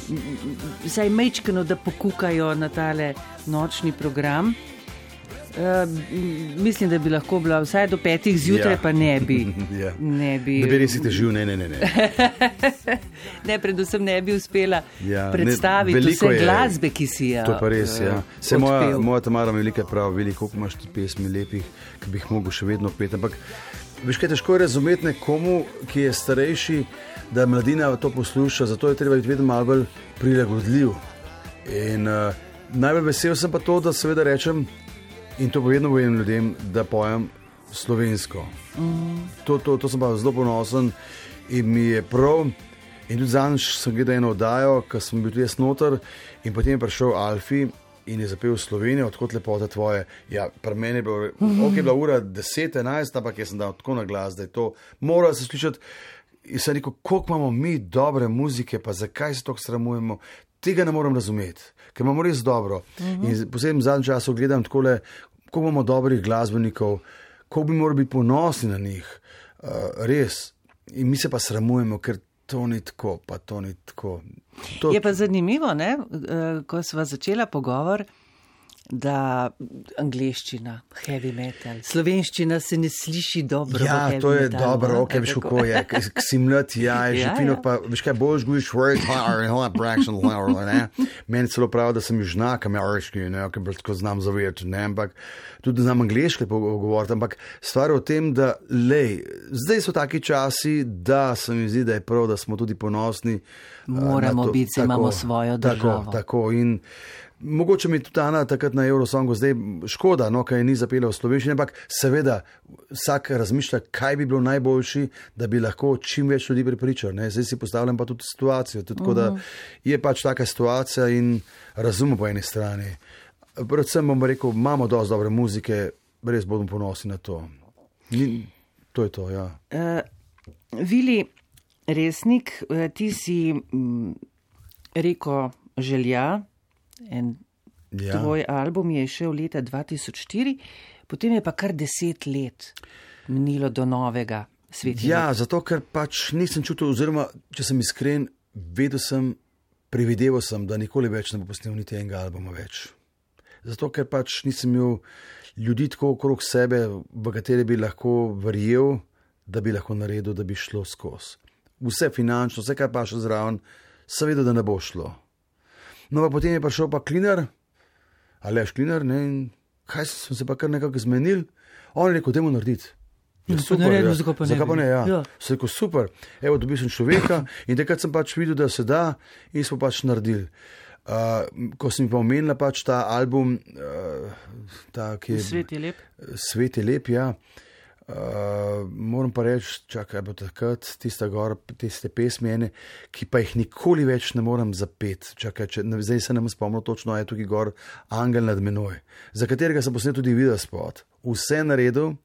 Speaker 2: Saj mečkano, da pokukajo na tale nočni program. Uh, mislim, da bi lahko bila vsaj do petih zjutraj, ja. pa ne bi.
Speaker 3: ja.
Speaker 2: Ne bi,
Speaker 3: ne bi res težil, ne, ne, ne. Ne,
Speaker 2: ne predvsem ne bi uspela
Speaker 3: ja,
Speaker 2: predstaviti ne, vse je, glasbe, ki si jo.
Speaker 3: To pa res, uh, ja. Se moja, moja Tamara mi velika prav, veliko, koliko imaš ti pesmi lepih, ki bi jih mogel še vedno peti. Ampak, veš kaj, težko je razumeti nekomu, ki je starejši, da mladina to posluša, zato je treba biti vedno malo bolj prilagodljiv. In uh, najbolj vesel sem pa to, da seveda rečem, in to povedno povem ljudem, da pojem slovensko. Mm. To, to, to sem pa zelo ponosen in mi je prav. In tudi zadnjič sem gledal eno oddajo, ko sem bil tudi jaz noter in potem je prišel Alfi in je zapel Slovenijo, odkot lepota tvoje. Ja, pri meni je bilo, mm-hmm. ok, je bila ura deset, enajst, ampak jaz sem dal tako na glas, da je to mora se slišati. In sem rekel, koliko imamo mi dobre muzike, pa zakaj se tako sramujemo, tega ne moram razumeti, ker imamo res dobro. Mm-hmm. In posebno v zadnjem času gledam takole, koliko imamo dobrih glasbenikov, koliko bi morali biti ponosni na njih, uh, res. In mi se pa sramujemo, ker to ni tako, pa to ni tako. To...
Speaker 2: Je pa zanimivo, ne? Uh, ko sva začela pogovor, da angleščina, heavy metal, slovenščina se ne sliši dobro.
Speaker 3: Ja,
Speaker 2: v heavy
Speaker 3: to je
Speaker 2: metalu,
Speaker 3: dobro, ok, veš kako je, k si mlad, ja, je že
Speaker 2: ja,
Speaker 3: fino,
Speaker 2: ja.
Speaker 3: pa veš kaj, boš gujiš word, ne, meni celo pravi, da sem ju žnak ameriški, ne, ker tako znam zavedati, ne, ampak tudi znam angleški pogovoriti, ampak stvar je o tem, da lej, zdaj so taki časi, da se mi zdi, da je prav, da smo tudi ponosni.
Speaker 2: Moramo biti, se imamo svojo državo.
Speaker 3: Tako, tako in mogoče mi tudi Ana takrat na Eurosongu zdaj škoda, no, kaj ni zapela v slovenščini, ampak seveda vsak razmišlja, kaj bi bilo najboljši, da bi lahko čim več ljudi pripričal. Ne? Zdaj si postavljam pa tudi situacijo, tudi tako, da je pač taka situacija in razumem po eni strani. Predvsem bom rekel, imamo dosti dobre muzike, res bomo ponosni na to. Ni, to je to, ja.
Speaker 2: Uh, Vili Resnik, ti si m, rekel želja, en ja. tvoj album je šel leta dva tisoč štiri, potem je pa kar deset let minilo do novega Sveti.
Speaker 3: Ja, zato ker pač nisem čutil, oziroma če sem iskren, vedel sem, privideval sem, da nikoli več ne bo posnel niti enega albuma več. Zato ker pač nisem imel ljudi tako okrog sebe, v katere bi lahko verjel, da bi lahko naredil, da bi šlo skozi. Vse finančno, vse kaj pa še zraven, sem vedel, da ne bo šlo. No, pa potem je prišel pa Klinar, Aleš Klinar, ne, in kaj sem se pa kar nekako zmenil, on je rekel, dajmo narediti. Ja, super, ja. Zakaj pa ne? Zakaj pa ne, ja. ja. Se rekel, super, evo, dobil sem človeka in takrat sem pač videl, da se da in smo pač naredili. Uh, ko sem mi pa omenila pač ta album, uh, ta, ki je...
Speaker 2: Svet je lep.
Speaker 3: Svet je lep, ja. Uh, moram pa reči, čakaj, bo takrat tista gor, tiste pesmi ene, ki pa jih nikoli več ne morem zapeti. Čakaj, če, zdaj se ne bom spomnil točno, je tukaj gor Angel nad menoj, za katerega sem posnel tudi video spot. Vse naredil,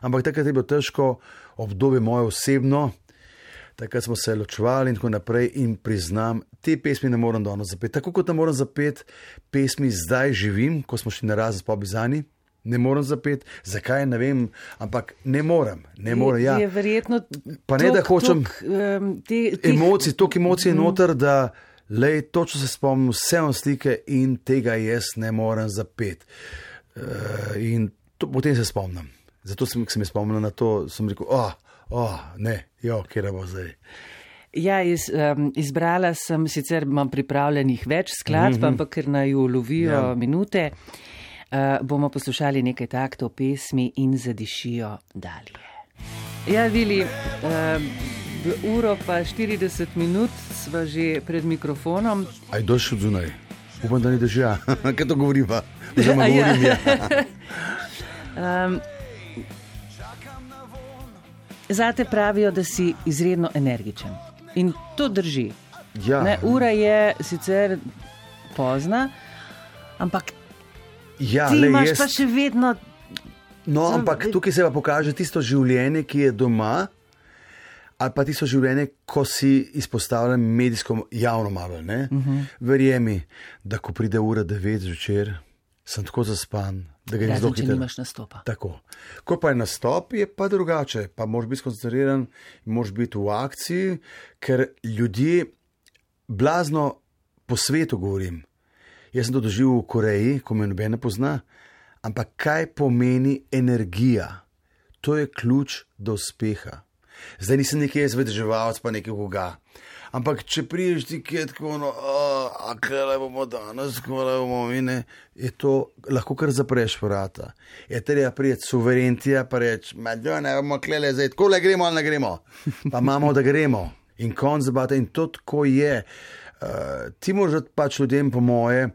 Speaker 3: ampak takrat je bilo težko obdobje moje osebno, takrat smo se ločevali in tako naprej in priznam, te pesmi ne morem danes zapeti. Tako kot ne morem zapeti pesmi Zdaj živim, ko smo šli na razen s Pobizani. Ne morem zapeti, zakaj, ne vem, ampak ne morem, ne morem, ja.
Speaker 2: Je verjetno
Speaker 3: pa ne, da hočem
Speaker 2: um,
Speaker 3: emocij, toliko emocij je noter, da lej, točno se spomnim vse on slike in tega jaz ne morem zapeti. Uh, in to, potem se spomnim. Zato sem, sem se spomnil na to, sem rekel, oh, oh, ne, jo, kjer bo zdaj.
Speaker 2: Ja, iz, um, izbrala sem, sicer imam pripravljenih več skladb, mm-hmm. ampak ker naju lovijo ja. minute. Uh, bomo poslušali nekaj taktov pesmi in zadišijo dalje. Ja, Vili, uh, uro pa štirideset minut sva že pred mikrofonom.
Speaker 3: Aj došel zunaj. Upam, da ni dežja. Kaj to govori pa? Oziroma govorim, ja.
Speaker 2: um, zate pravijo, da si izredno energičen. In to drži.
Speaker 3: Ja.
Speaker 2: Ne, ura je sicer pozna, ampak
Speaker 3: ja,
Speaker 2: ti
Speaker 3: le,
Speaker 2: imaš
Speaker 3: jaz...
Speaker 2: pa še vedno...
Speaker 3: No, ampak tukaj se pa pokaže tisto življenje, ki je doma, ali pa tisto življenje, ko si izpostavljen medijsko javno malo, ne? Uh-huh. Verjemi, da ko pride ura devet zvečer, sem tako zaspan, da ga ne zelo hitro.
Speaker 2: Razen, če nimaš nastopa.
Speaker 3: Tako. Ko pa je nastop, je pa drugače, pa moraš biti skoncentriran, moraš biti v akciji, ker ljudje blazno po svetu govorim. Jaz sem to doživel v Koreji, ko me noben ne pozna, ampak kaj pomeni energija? To je ključ do uspeha. Zdaj nisem nekaj jaz vedeževalc, pa nekaj koga. Ampak če priješ ti kje tako, no, a kaj bomo danes, kaj bomo mine, je to, lahko kar zapreš vrata. Je treba prijeti suverentija, pa reči, madjo, ne bomo klele zdaj, tako le gremo ali ne gremo. Pa imamo, da gremo. In konc zabata, in to tako je. Uh, ti moraš pač ljudem po moje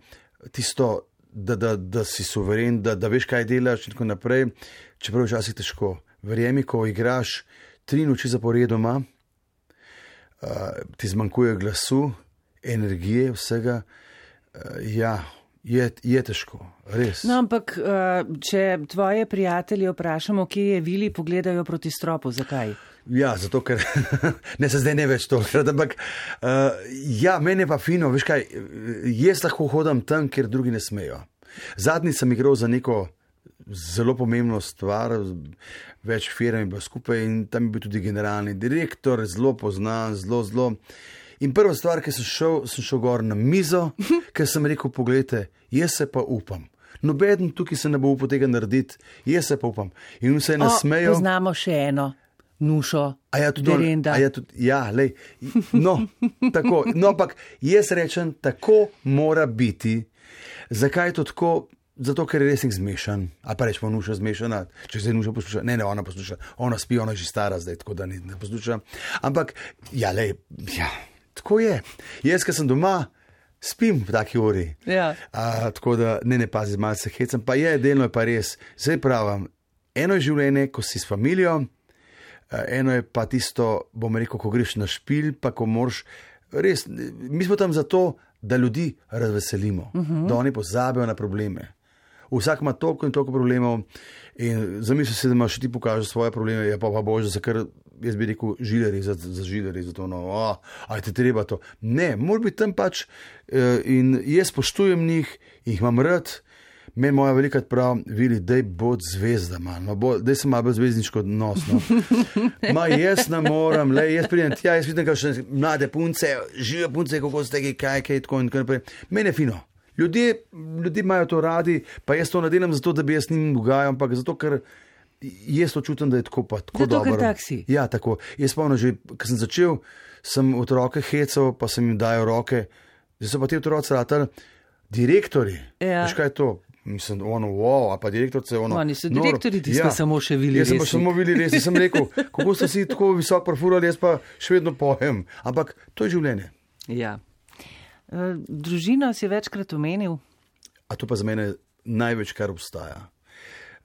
Speaker 3: tisto, da, da, da si suveren, da, da veš, kaj delaš in tako naprej, čeprav včasih težko. Verjemi, ko igraš tri noči zaporedoma, uh, ti zmanjkuje glasu, energije, vsega, uh, ja, je, je težko, res.
Speaker 2: No, ampak, uh, če tvoje prijatelje vprašamo, kje je Vili, pogledajo proti stropu, zakaj?
Speaker 3: Ja, zato, ker ne se zdaj ne več to, ampak uh, ja, meni je pa fino, veš kaj, jaz lahko hodim tam, kjer drugi ne smejo. Zadnji sem igral za neko zelo pomembno stvar, več firm je bilo skupaj in tam je bil tudi generalni direktor, zelo poznan, zelo, zelo. In prva stvar, ki sem šel, sem šel gor na mizo, ker sem rekel, pogledajte, jaz se pa upam. Nobeden tukaj se ne bo upal tega narediti, jaz se pa upam. In vse ne smejo.
Speaker 2: Poznamo še eno. Nušo,
Speaker 3: ja,
Speaker 2: Derenda.
Speaker 3: Ja, ja, lej, no, tako, no, ampak jaz rečem, tako mora biti. Zakaj je to tako? Zato, ker je resnik zmešan. A pa rečemo, Nuša zmešana, če se Nuša posluša. Ne, ne, ona posluša, ona spi, ona je že stara zdaj, tako da ne, ne posluša. Ampak, ja, lej, ja, tako je. Jaz, ker sem doma, spim v taki uri.
Speaker 2: Ja.
Speaker 3: A, tako da, ne, ne pazi, malo se hecam, pa je, delno je pa res. Zdaj pravim, eno je življenje, ko si s familijo, eno je pa tisto, bom rekel, ko greš na špil, pa ko moraš res, mi smo tam zato, da ljudi razveselimo, uh-huh. da oni pozabijo na probleme. Vsak ima toliko in toliko problemov in zamisli se, da imaš ti pokažeš svoje probleme, je pa pa bože, za kar jaz bi rekel žileri, za, za žileri, za to, no, oh, aj te treba to. Ne, mora biti tam pač in jaz spoštujem njih, jih imam rad. Meni moja velika prav, Vili, daj bod zvezda, man, no, bo, daj sem malo bolj zvezdniško odnos, no. Ma, jaz ne moram, le, jaz pridem tja, jaz vidim, kakšne mlade punce, žive punce, kako ste tega, kaj, kaj, tako in tako naprej. Meni je fino. Ljudje, ljudje imajo to radi, pa jaz to ne delam zato, da bi jaz njim dogajal, ampak zato, ker jaz to čutim, da je tako pa, tako
Speaker 2: zato,
Speaker 3: dobro.
Speaker 2: Zato, ker tak si.
Speaker 3: Ja, tako. Jaz spomnim že, ko sem začel, sem od roke hecal, pa sem jim dajal roke, zdaj so pa ti otroci ratali direktori.
Speaker 2: Ja.
Speaker 3: Veš, kaj je to? Mislim, ono, wow, a pa direktorce, ono.
Speaker 2: Oni so direktori, ti ja. Ste samo še Vili Resnik.
Speaker 3: Jaz sem pa samo Vili Resnik, sem rekel, kako ste si tako visok profurali, jaz pa še vedno pojem. Ampak to je življenje.
Speaker 2: Ja. E, družino si večkrat omenil.
Speaker 3: A to pa za mene največ, kar obstaja.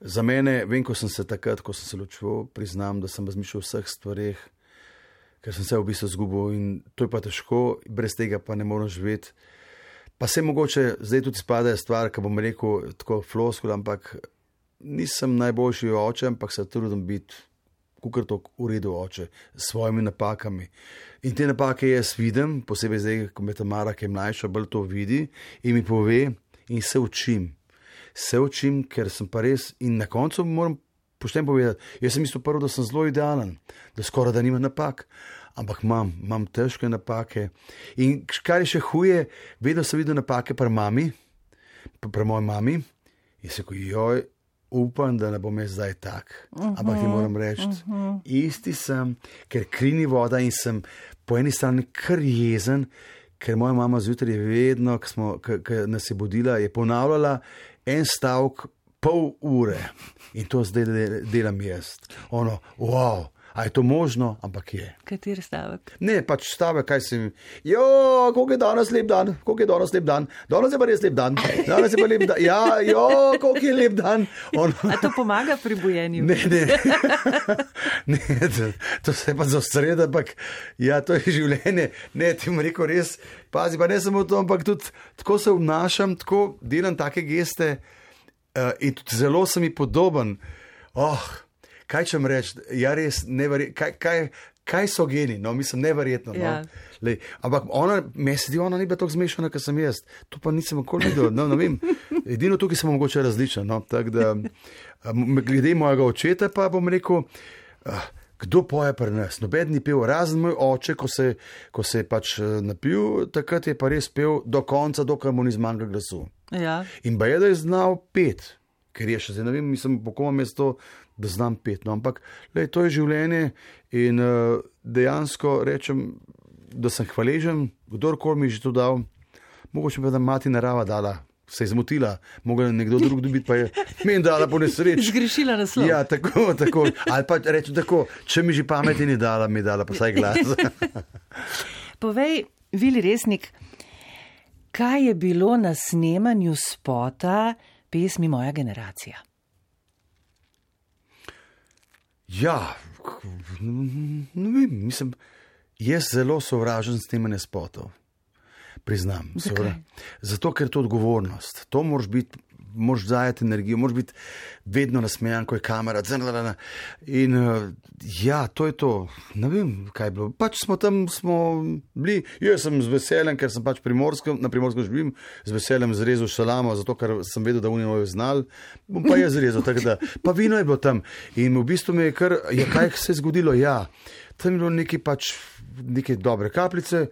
Speaker 3: Za mene, vem, ko sem se takrat, ko sem se ločil, priznam, da sem razmišljal o vseh stvareh, ker sem se v bistvu zgubil in to je pa težko, brez tega pa ne morem živeti. Pa se mogoče zdaj tudi spadajo stvar, ki bom rekel tako floskul, ampak nisem najboljši oče, ampak se trudim biti, kukor to v redu oče, s svojimi napakami. In te napake jaz vidim, posebej zdaj, ko me Tamara, ki je mlajša, bolj to vidi in mi pove in se učim. Se učim, ker sem pa res in na koncu moram pošteno povedati, jaz sem mislil prvo, da sem zelo idealen, da skoraj da nimam napak. Ampak imam, imam težke napake. In kar je še huje, vedno sem videl napake pri mami, pri moji mami. In se ko joj, upam, da ne bom jaz zdaj tak. Ampak ti moram reči, uh-huh. isti sem, ker krini voda in sem po eni strani kar jezen, ker moja mama zjutraj je vedno, ko nas je budila, je ponavljala en stavek pol ure. In to zdaj delam jaz. Ono, wow. A je to možno, ampak je.
Speaker 2: Kateri stavek?
Speaker 3: Ne, pač stavek, kaj si mi. Jo, koliko je danes lep dan, koliko je danes lep dan, danes je pa res lep dan, danes je pa lep dan, ja, jo, koliko je lep dan. Ono...
Speaker 2: A to pomaga pri bujenju?
Speaker 3: Ne, ne, ne, to, to se pa zastreda, ampak ja, to je življenje. Ne, ti mu rekel res, pazi, pa ne samo to, ampak tudi tako se obnašam, tako delam take geste uh, in tudi zelo sem mi podoben. Oh, kaj čem reči, ja res, neverjetno, kaj, kaj, kaj so geni, no, mislim, neverjetno. No?
Speaker 2: Ja.
Speaker 3: Lej, ampak ona, meni se zdi, ona ni bila tako zmešana, kot sem jaz. To pa nisem nikoli videl, no, ne vem. Edino tukaj sem mogoče različen, no, tako da, glede mojega očeta pa bom rekel, uh, kdo poje pri nas? Noben ni pel, razen moj oče, ko se, ko se je pač napil, takrat je pa res pel do konca, dokaj mu ni zmanjkalo glasu.
Speaker 2: Ja.
Speaker 3: In ba je, da je znal pet, ker je še zdaj, ne vem, mislim, po kom je to, da znam pet, no, ampak lej, to je življenje in uh, dejansko rečem, da sem hvaležen, kdorkoli mi je že to dal, mogoče pa da mati narava dala, se je zmotila, mogla nekdo drug dobiti, pa je meni dala po nesreči.
Speaker 2: Zgrešila naslov.
Speaker 3: Ja, tako, tako, ali pa rečem tako, če mi že pameti ni dala, mi je dala pa saj glas.
Speaker 2: Povej, Vili Resnik, kaj je bilo na snemanju spota pesmi Moja generacija?
Speaker 3: Ja, ne vem, mislim, jaz zelo sovražen snemanje spotov, priznam.
Speaker 2: Zakaj?
Speaker 3: Zato, ker je to odgovornost. To moraš biti, moraš zajeti energijo, moraš biti vedno nasmejan, ko je kamera. In ja, to je to. Ne vem, kaj je bilo. Pač smo tam, smo bili, jaz sem z veseljem, ker sem pač primorskem, na Primorskem živim, z veseljem zrezal šalamo, zato ker sem vedel, da oni mojo znal, bom pa jaz zrezal, tako da, pa vino je bilo tam. In v bistvu mi je kar, ja, kaj se je zgodilo, ja, tam je bilo neki pač, neke dobre kapljice,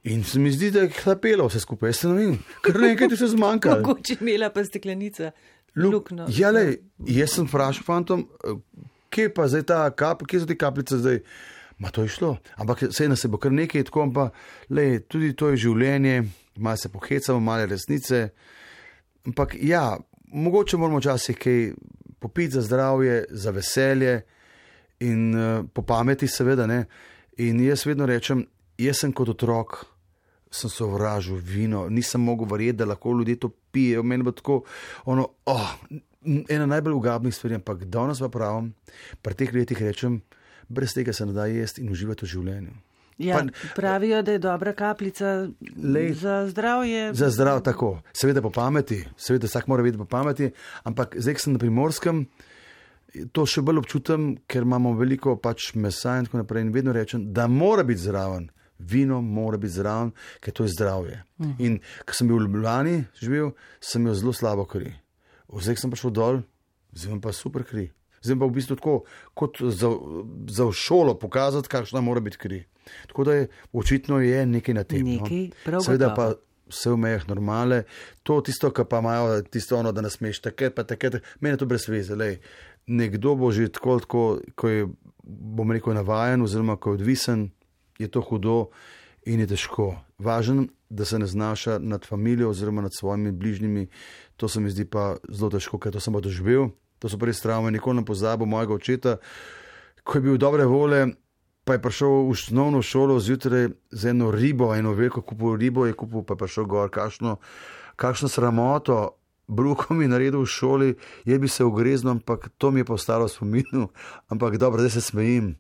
Speaker 3: in se mi zdi, da je hlapelo vse skupaj, jaz se ne vem, kar nekaj ti se zmanjka.
Speaker 2: Mogoče imela pa steklenica luknjo.
Speaker 3: Ja, lej, jaz sem vprašal fantom, kje pa zdaj ta kap, kje so te kapljice zdaj? Ma to je šlo, ampak sej nas se bo kar nekaj tako, pa lej, tudi to je življenje, malo se pohecamo, malo resnice, ampak ja, mogoče moramo včasih kaj popiti za zdravje, za veselje in uh, po pameti seveda, ne, in jaz vedno rečem, jaz sem kot otrok, sem sovražil vino, nisem mogel verjeti, da lahko ljudje to pijejo, meni bo tako, ono, oh, ena najbolj ugabnih stvari, ampak danes pa pravim, pri teh letih rečem, brez tega se ne da jesti in uživati v življenju.
Speaker 2: Ja,
Speaker 3: pa,
Speaker 2: pravijo, da je dobra kapljica lej, za zdravje.
Speaker 3: Za zdrav, tako. Seveda po pameti, seveda vsak mora vedeti po pameti, ampak zdaj, ko sem na Primorskem, to še bolj občutam, ker imamo veliko pač mesa in tako naprej in vedno rečem, da mora biti zraven. Vino mora biti zraven, ker to je zdravje. Uh-huh. In ko sem bil v Ljubljani živel, sem imel zelo slabo kri. Zdaj sem prišel dol, zdaj imam pa super kri. Zdaj pa v bistvu tako, kot za, za v šolo pokazati, kakšna mora biti kri. Tako da je, očitno je nekaj na tem.
Speaker 2: Nekaj, prav
Speaker 3: seveda pa vse v mejah normale. To tisto, kar pa imajo, tisto ono, da nas smeš takrat, pa takrat, meni je to brez veze. Lej, nekdo bo že tako, tako, ko je, bom rekel, navajen oziroma ko je odvisen, je to hudo in je težko. Važen, da se ne znaša nad familijo oziroma nad svojimi bližnjimi, to se mi zdi pa zelo težko, ker to sem pa doživel. To so prvi travme, nikoli ne pozabil mojega očeta, ko je bil dobre vole, pa je prišel v osnovno šolo zjutraj z eno ribo, eno veliko kupil ribo, je kupil, pa je prišel gor, kakšno, kakšno sramoto, bruko mi naredil v šoli, je bi se ugreznil, ampak to mi je postalo spominu, ampak dobro, zdaj se smejim.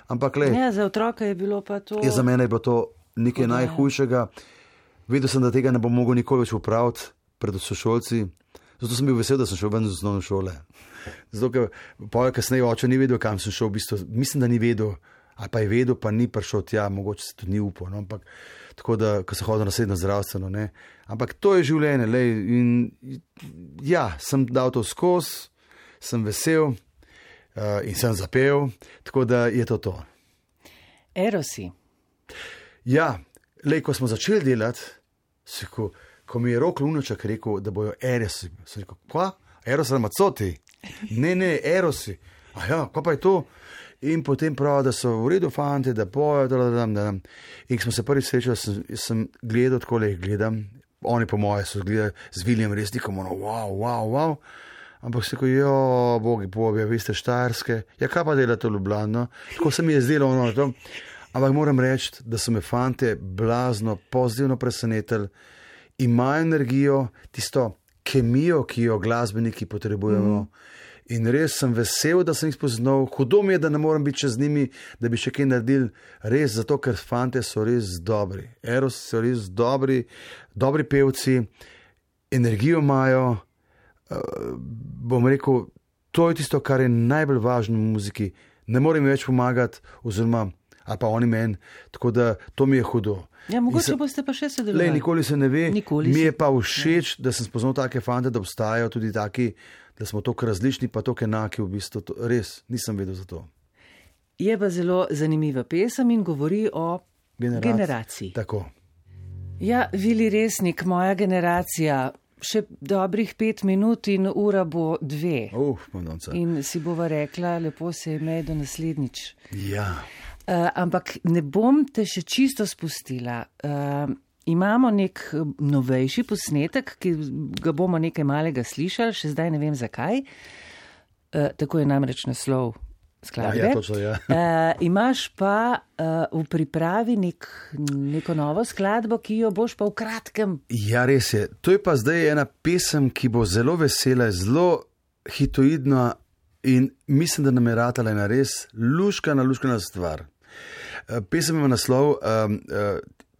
Speaker 3: Ampak le.
Speaker 2: Ja, za otroka je bilo pa to.
Speaker 3: Ja, za mene je bilo to nekaj Podaj. najhujšega. Vedel sem, da tega ne bom mogel nikoli več upraviti pred sošolci. Zato sem bil vesel, da sem šel ven z osnovne šole. Zato, ker poje kasneje oče ni vedel, kam sem šel, v bistvu, mislim, da ni vedel, ali pa je vedel, pa ni prišel tja, mogoče se tudi ni upal, no? Ampak tako da, ko se hodil na srednjo zdravstveno, ne. Ampak to je življenje, lej, in ja, sem dal to skozi, sem vesel uh, in sem zapel, tako da je to to.
Speaker 2: Erosi.
Speaker 3: Ja, lej, ko smo začeli delati, se ko Ko mi je Rok Lunaček rekel, da bojo erosi, sem rekel, kva? Erosi ali macoti? Ne, ne, erosi. A ja, kva pa je to? In potem pravi, da so v redu fanti, da pojo, da, da, da, da. In ko smo se prvi srečali, sem, sem gledal, tako le jih gledam. Oni po moje so gledali z Viljem Resnikom, ono, wow, wow, wow. Ampak se rekel, jo, bogi pobje, vi ste Štajerske. Ja, kaj pa delate v Ljubljano? Tako se mi je zdelo, ono, to. Ampak moram reči, da so me fante blazno, pozitivno presenetili. Imajo energijo, tisto kemijo, ki jo glasbeniki potrebujemo. Mm. In res sem vesel, da sem jih spoznal. Hudo mi je, da ne morem biti čez njimi, da bi še kaj naredil. Res zato, ker fante so res dobri. Eros so res dobri, dobri pevci, energijo imajo. Uh, bom rekel, to je tisto, kar je najbolj važno v muziki. Ne morem več pomagati, oziroma, ali pa oni meni. Tako da to mi je hudo.
Speaker 2: Ja, mogoče se, boste pa še sodelovali.
Speaker 3: Le, nikoli se ne ve.
Speaker 2: Nikoli
Speaker 3: mi je pa všeč, ne. Da sem spoznal take fante, da obstajajo tudi taki, da smo toliko različni, pa toliko enaki v bistvu. To, res, nisem vedel za to.
Speaker 2: Je pa zelo zanimiva pesem in govori o Generac generaciji.
Speaker 3: Tako.
Speaker 2: Ja, Vili Resnik, moja generacija, še dobrih pet minut in ura bo dve.
Speaker 3: Uf,
Speaker 2: in si bova rekla, lepo se imej do naslednjič.
Speaker 3: Ja.
Speaker 2: Uh, ampak ne bom te še čisto spustila. Uh, imamo nek novejši posnetek, ki ga bomo nekaj malega slišali, še zdaj ne vem zakaj. Uh, tako je namreč naslov skladbe.
Speaker 3: Ja, ja, točno, ja.
Speaker 2: uh, imaš pa uh, v pripravi nek, neko novo skladbo, ki jo boš pa v kratkem.
Speaker 3: Ja, res je. To je pa zdaj ena pesem, ki bo zelo vesela, zelo hitoidna in mislim, da nam je ratala ena res luškana, luškana stvar. Pesem ima naslov um, uh,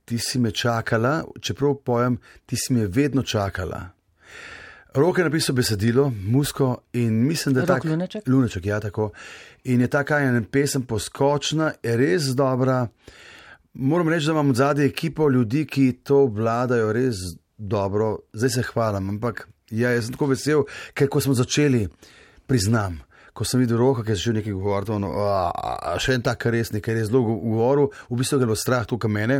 Speaker 3: Ti si me čakala, čeprav pojem, ti si me vedno čakala. Rok je napisal besedilo, musko in mislim, da je tak...
Speaker 2: Lunaček?
Speaker 3: Lunaček, ja, tako. In je taka ena pesem poskočna, je res dobra. Moram reči, da imam od zadnje ekipo ljudi, ki to vladajo res dobro. Zdaj se hvalim, ampak ja, jaz sem tako vesel, ker ko smo začeli, priznam, ko sem videl Roka, ki je začel nekaj govoriti, ono, a, a, še en tak resnik, ker je zelo govoril, v bistvu ga je bilo strah tukaj mene,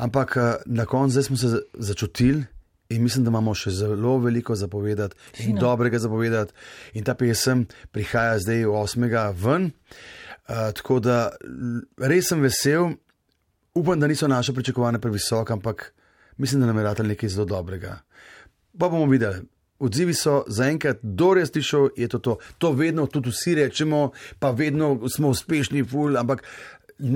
Speaker 3: ampak na koncu zdaj smo se začutili in mislim, da imamo še zelo veliko zapovedati in Fino. dobrega zapovedati in ta pesem prihaja zdaj osmega ven, uh, tako da res sem vesel, upam, da niso naše pričakovane previsoke, ampak mislim, da nam je ratalo nekaj zelo dobrega. Pa bomo videli. Odzivi so zaenkrat, kdo res slišal, je to to. To vedno tudi vsi rečemo, pa vedno smo uspešni, ful, ampak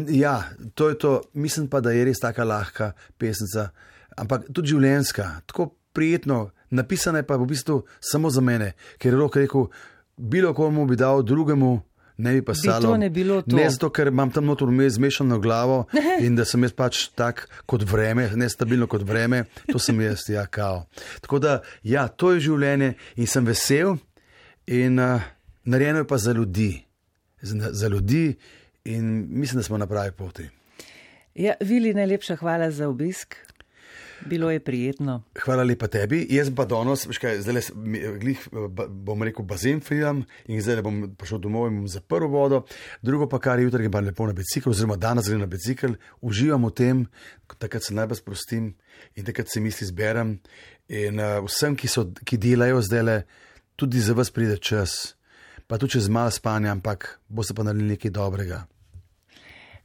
Speaker 3: ja, to je to. Mislim pa, da je res taka lahka pesnica, ampak tudi življenjska, tako prijetno, napisana je pa v bistvu samo za mene, ker je Rok rekel, bilo komu bi dal drugemu, ne bi pa salo.
Speaker 2: Bi to ne bilo to.
Speaker 3: Ne zato, ker imam tam notor vmes zmešano glavo in da sem jaz pač tak kot vreme, nestabilno kot vreme, to sem jaz, ja, kao. Tako da, ja, to je življenje in sem vesel in uh, narejeno je pa za ljudi. Za, za ljudi in mislim, da smo na pravi poti.
Speaker 2: Ja, Vili, najlepša hvala za obisk. Bilo je prijetno.
Speaker 3: Hvala lepa tebi. Jaz pa danes, zdaj glih, bom rekel, bazen filam in zdaj bom prišel domov in bom zaprl vodo. Drugo pa, kar je jutri, pa lepo na bicikl, oziroma danes gre na bicikl, uživam v tem, takrat se najbolj sprostim in takrat se misli zberem. In uh, vsem, ki, so, ki delajo zdajle, tudi za vas pride čas, pa tudi čez malo spanja, ampak boste pa naredili nekaj dobrega.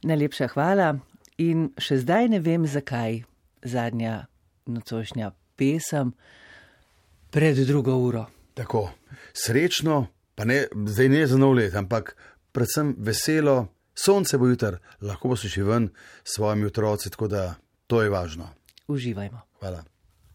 Speaker 2: Najlepša hvala in še zdaj ne vem zakaj. zadnja nocošnja pesem pred drugo uro.
Speaker 3: Tako, srečno, pa ne, zdaj ne za nov let, ampak predvsem veselo, sonce bo jutr, lahko bo se še ven s svojimi otroci, tako da to je važno.
Speaker 2: Uživajmo.
Speaker 3: Hvala.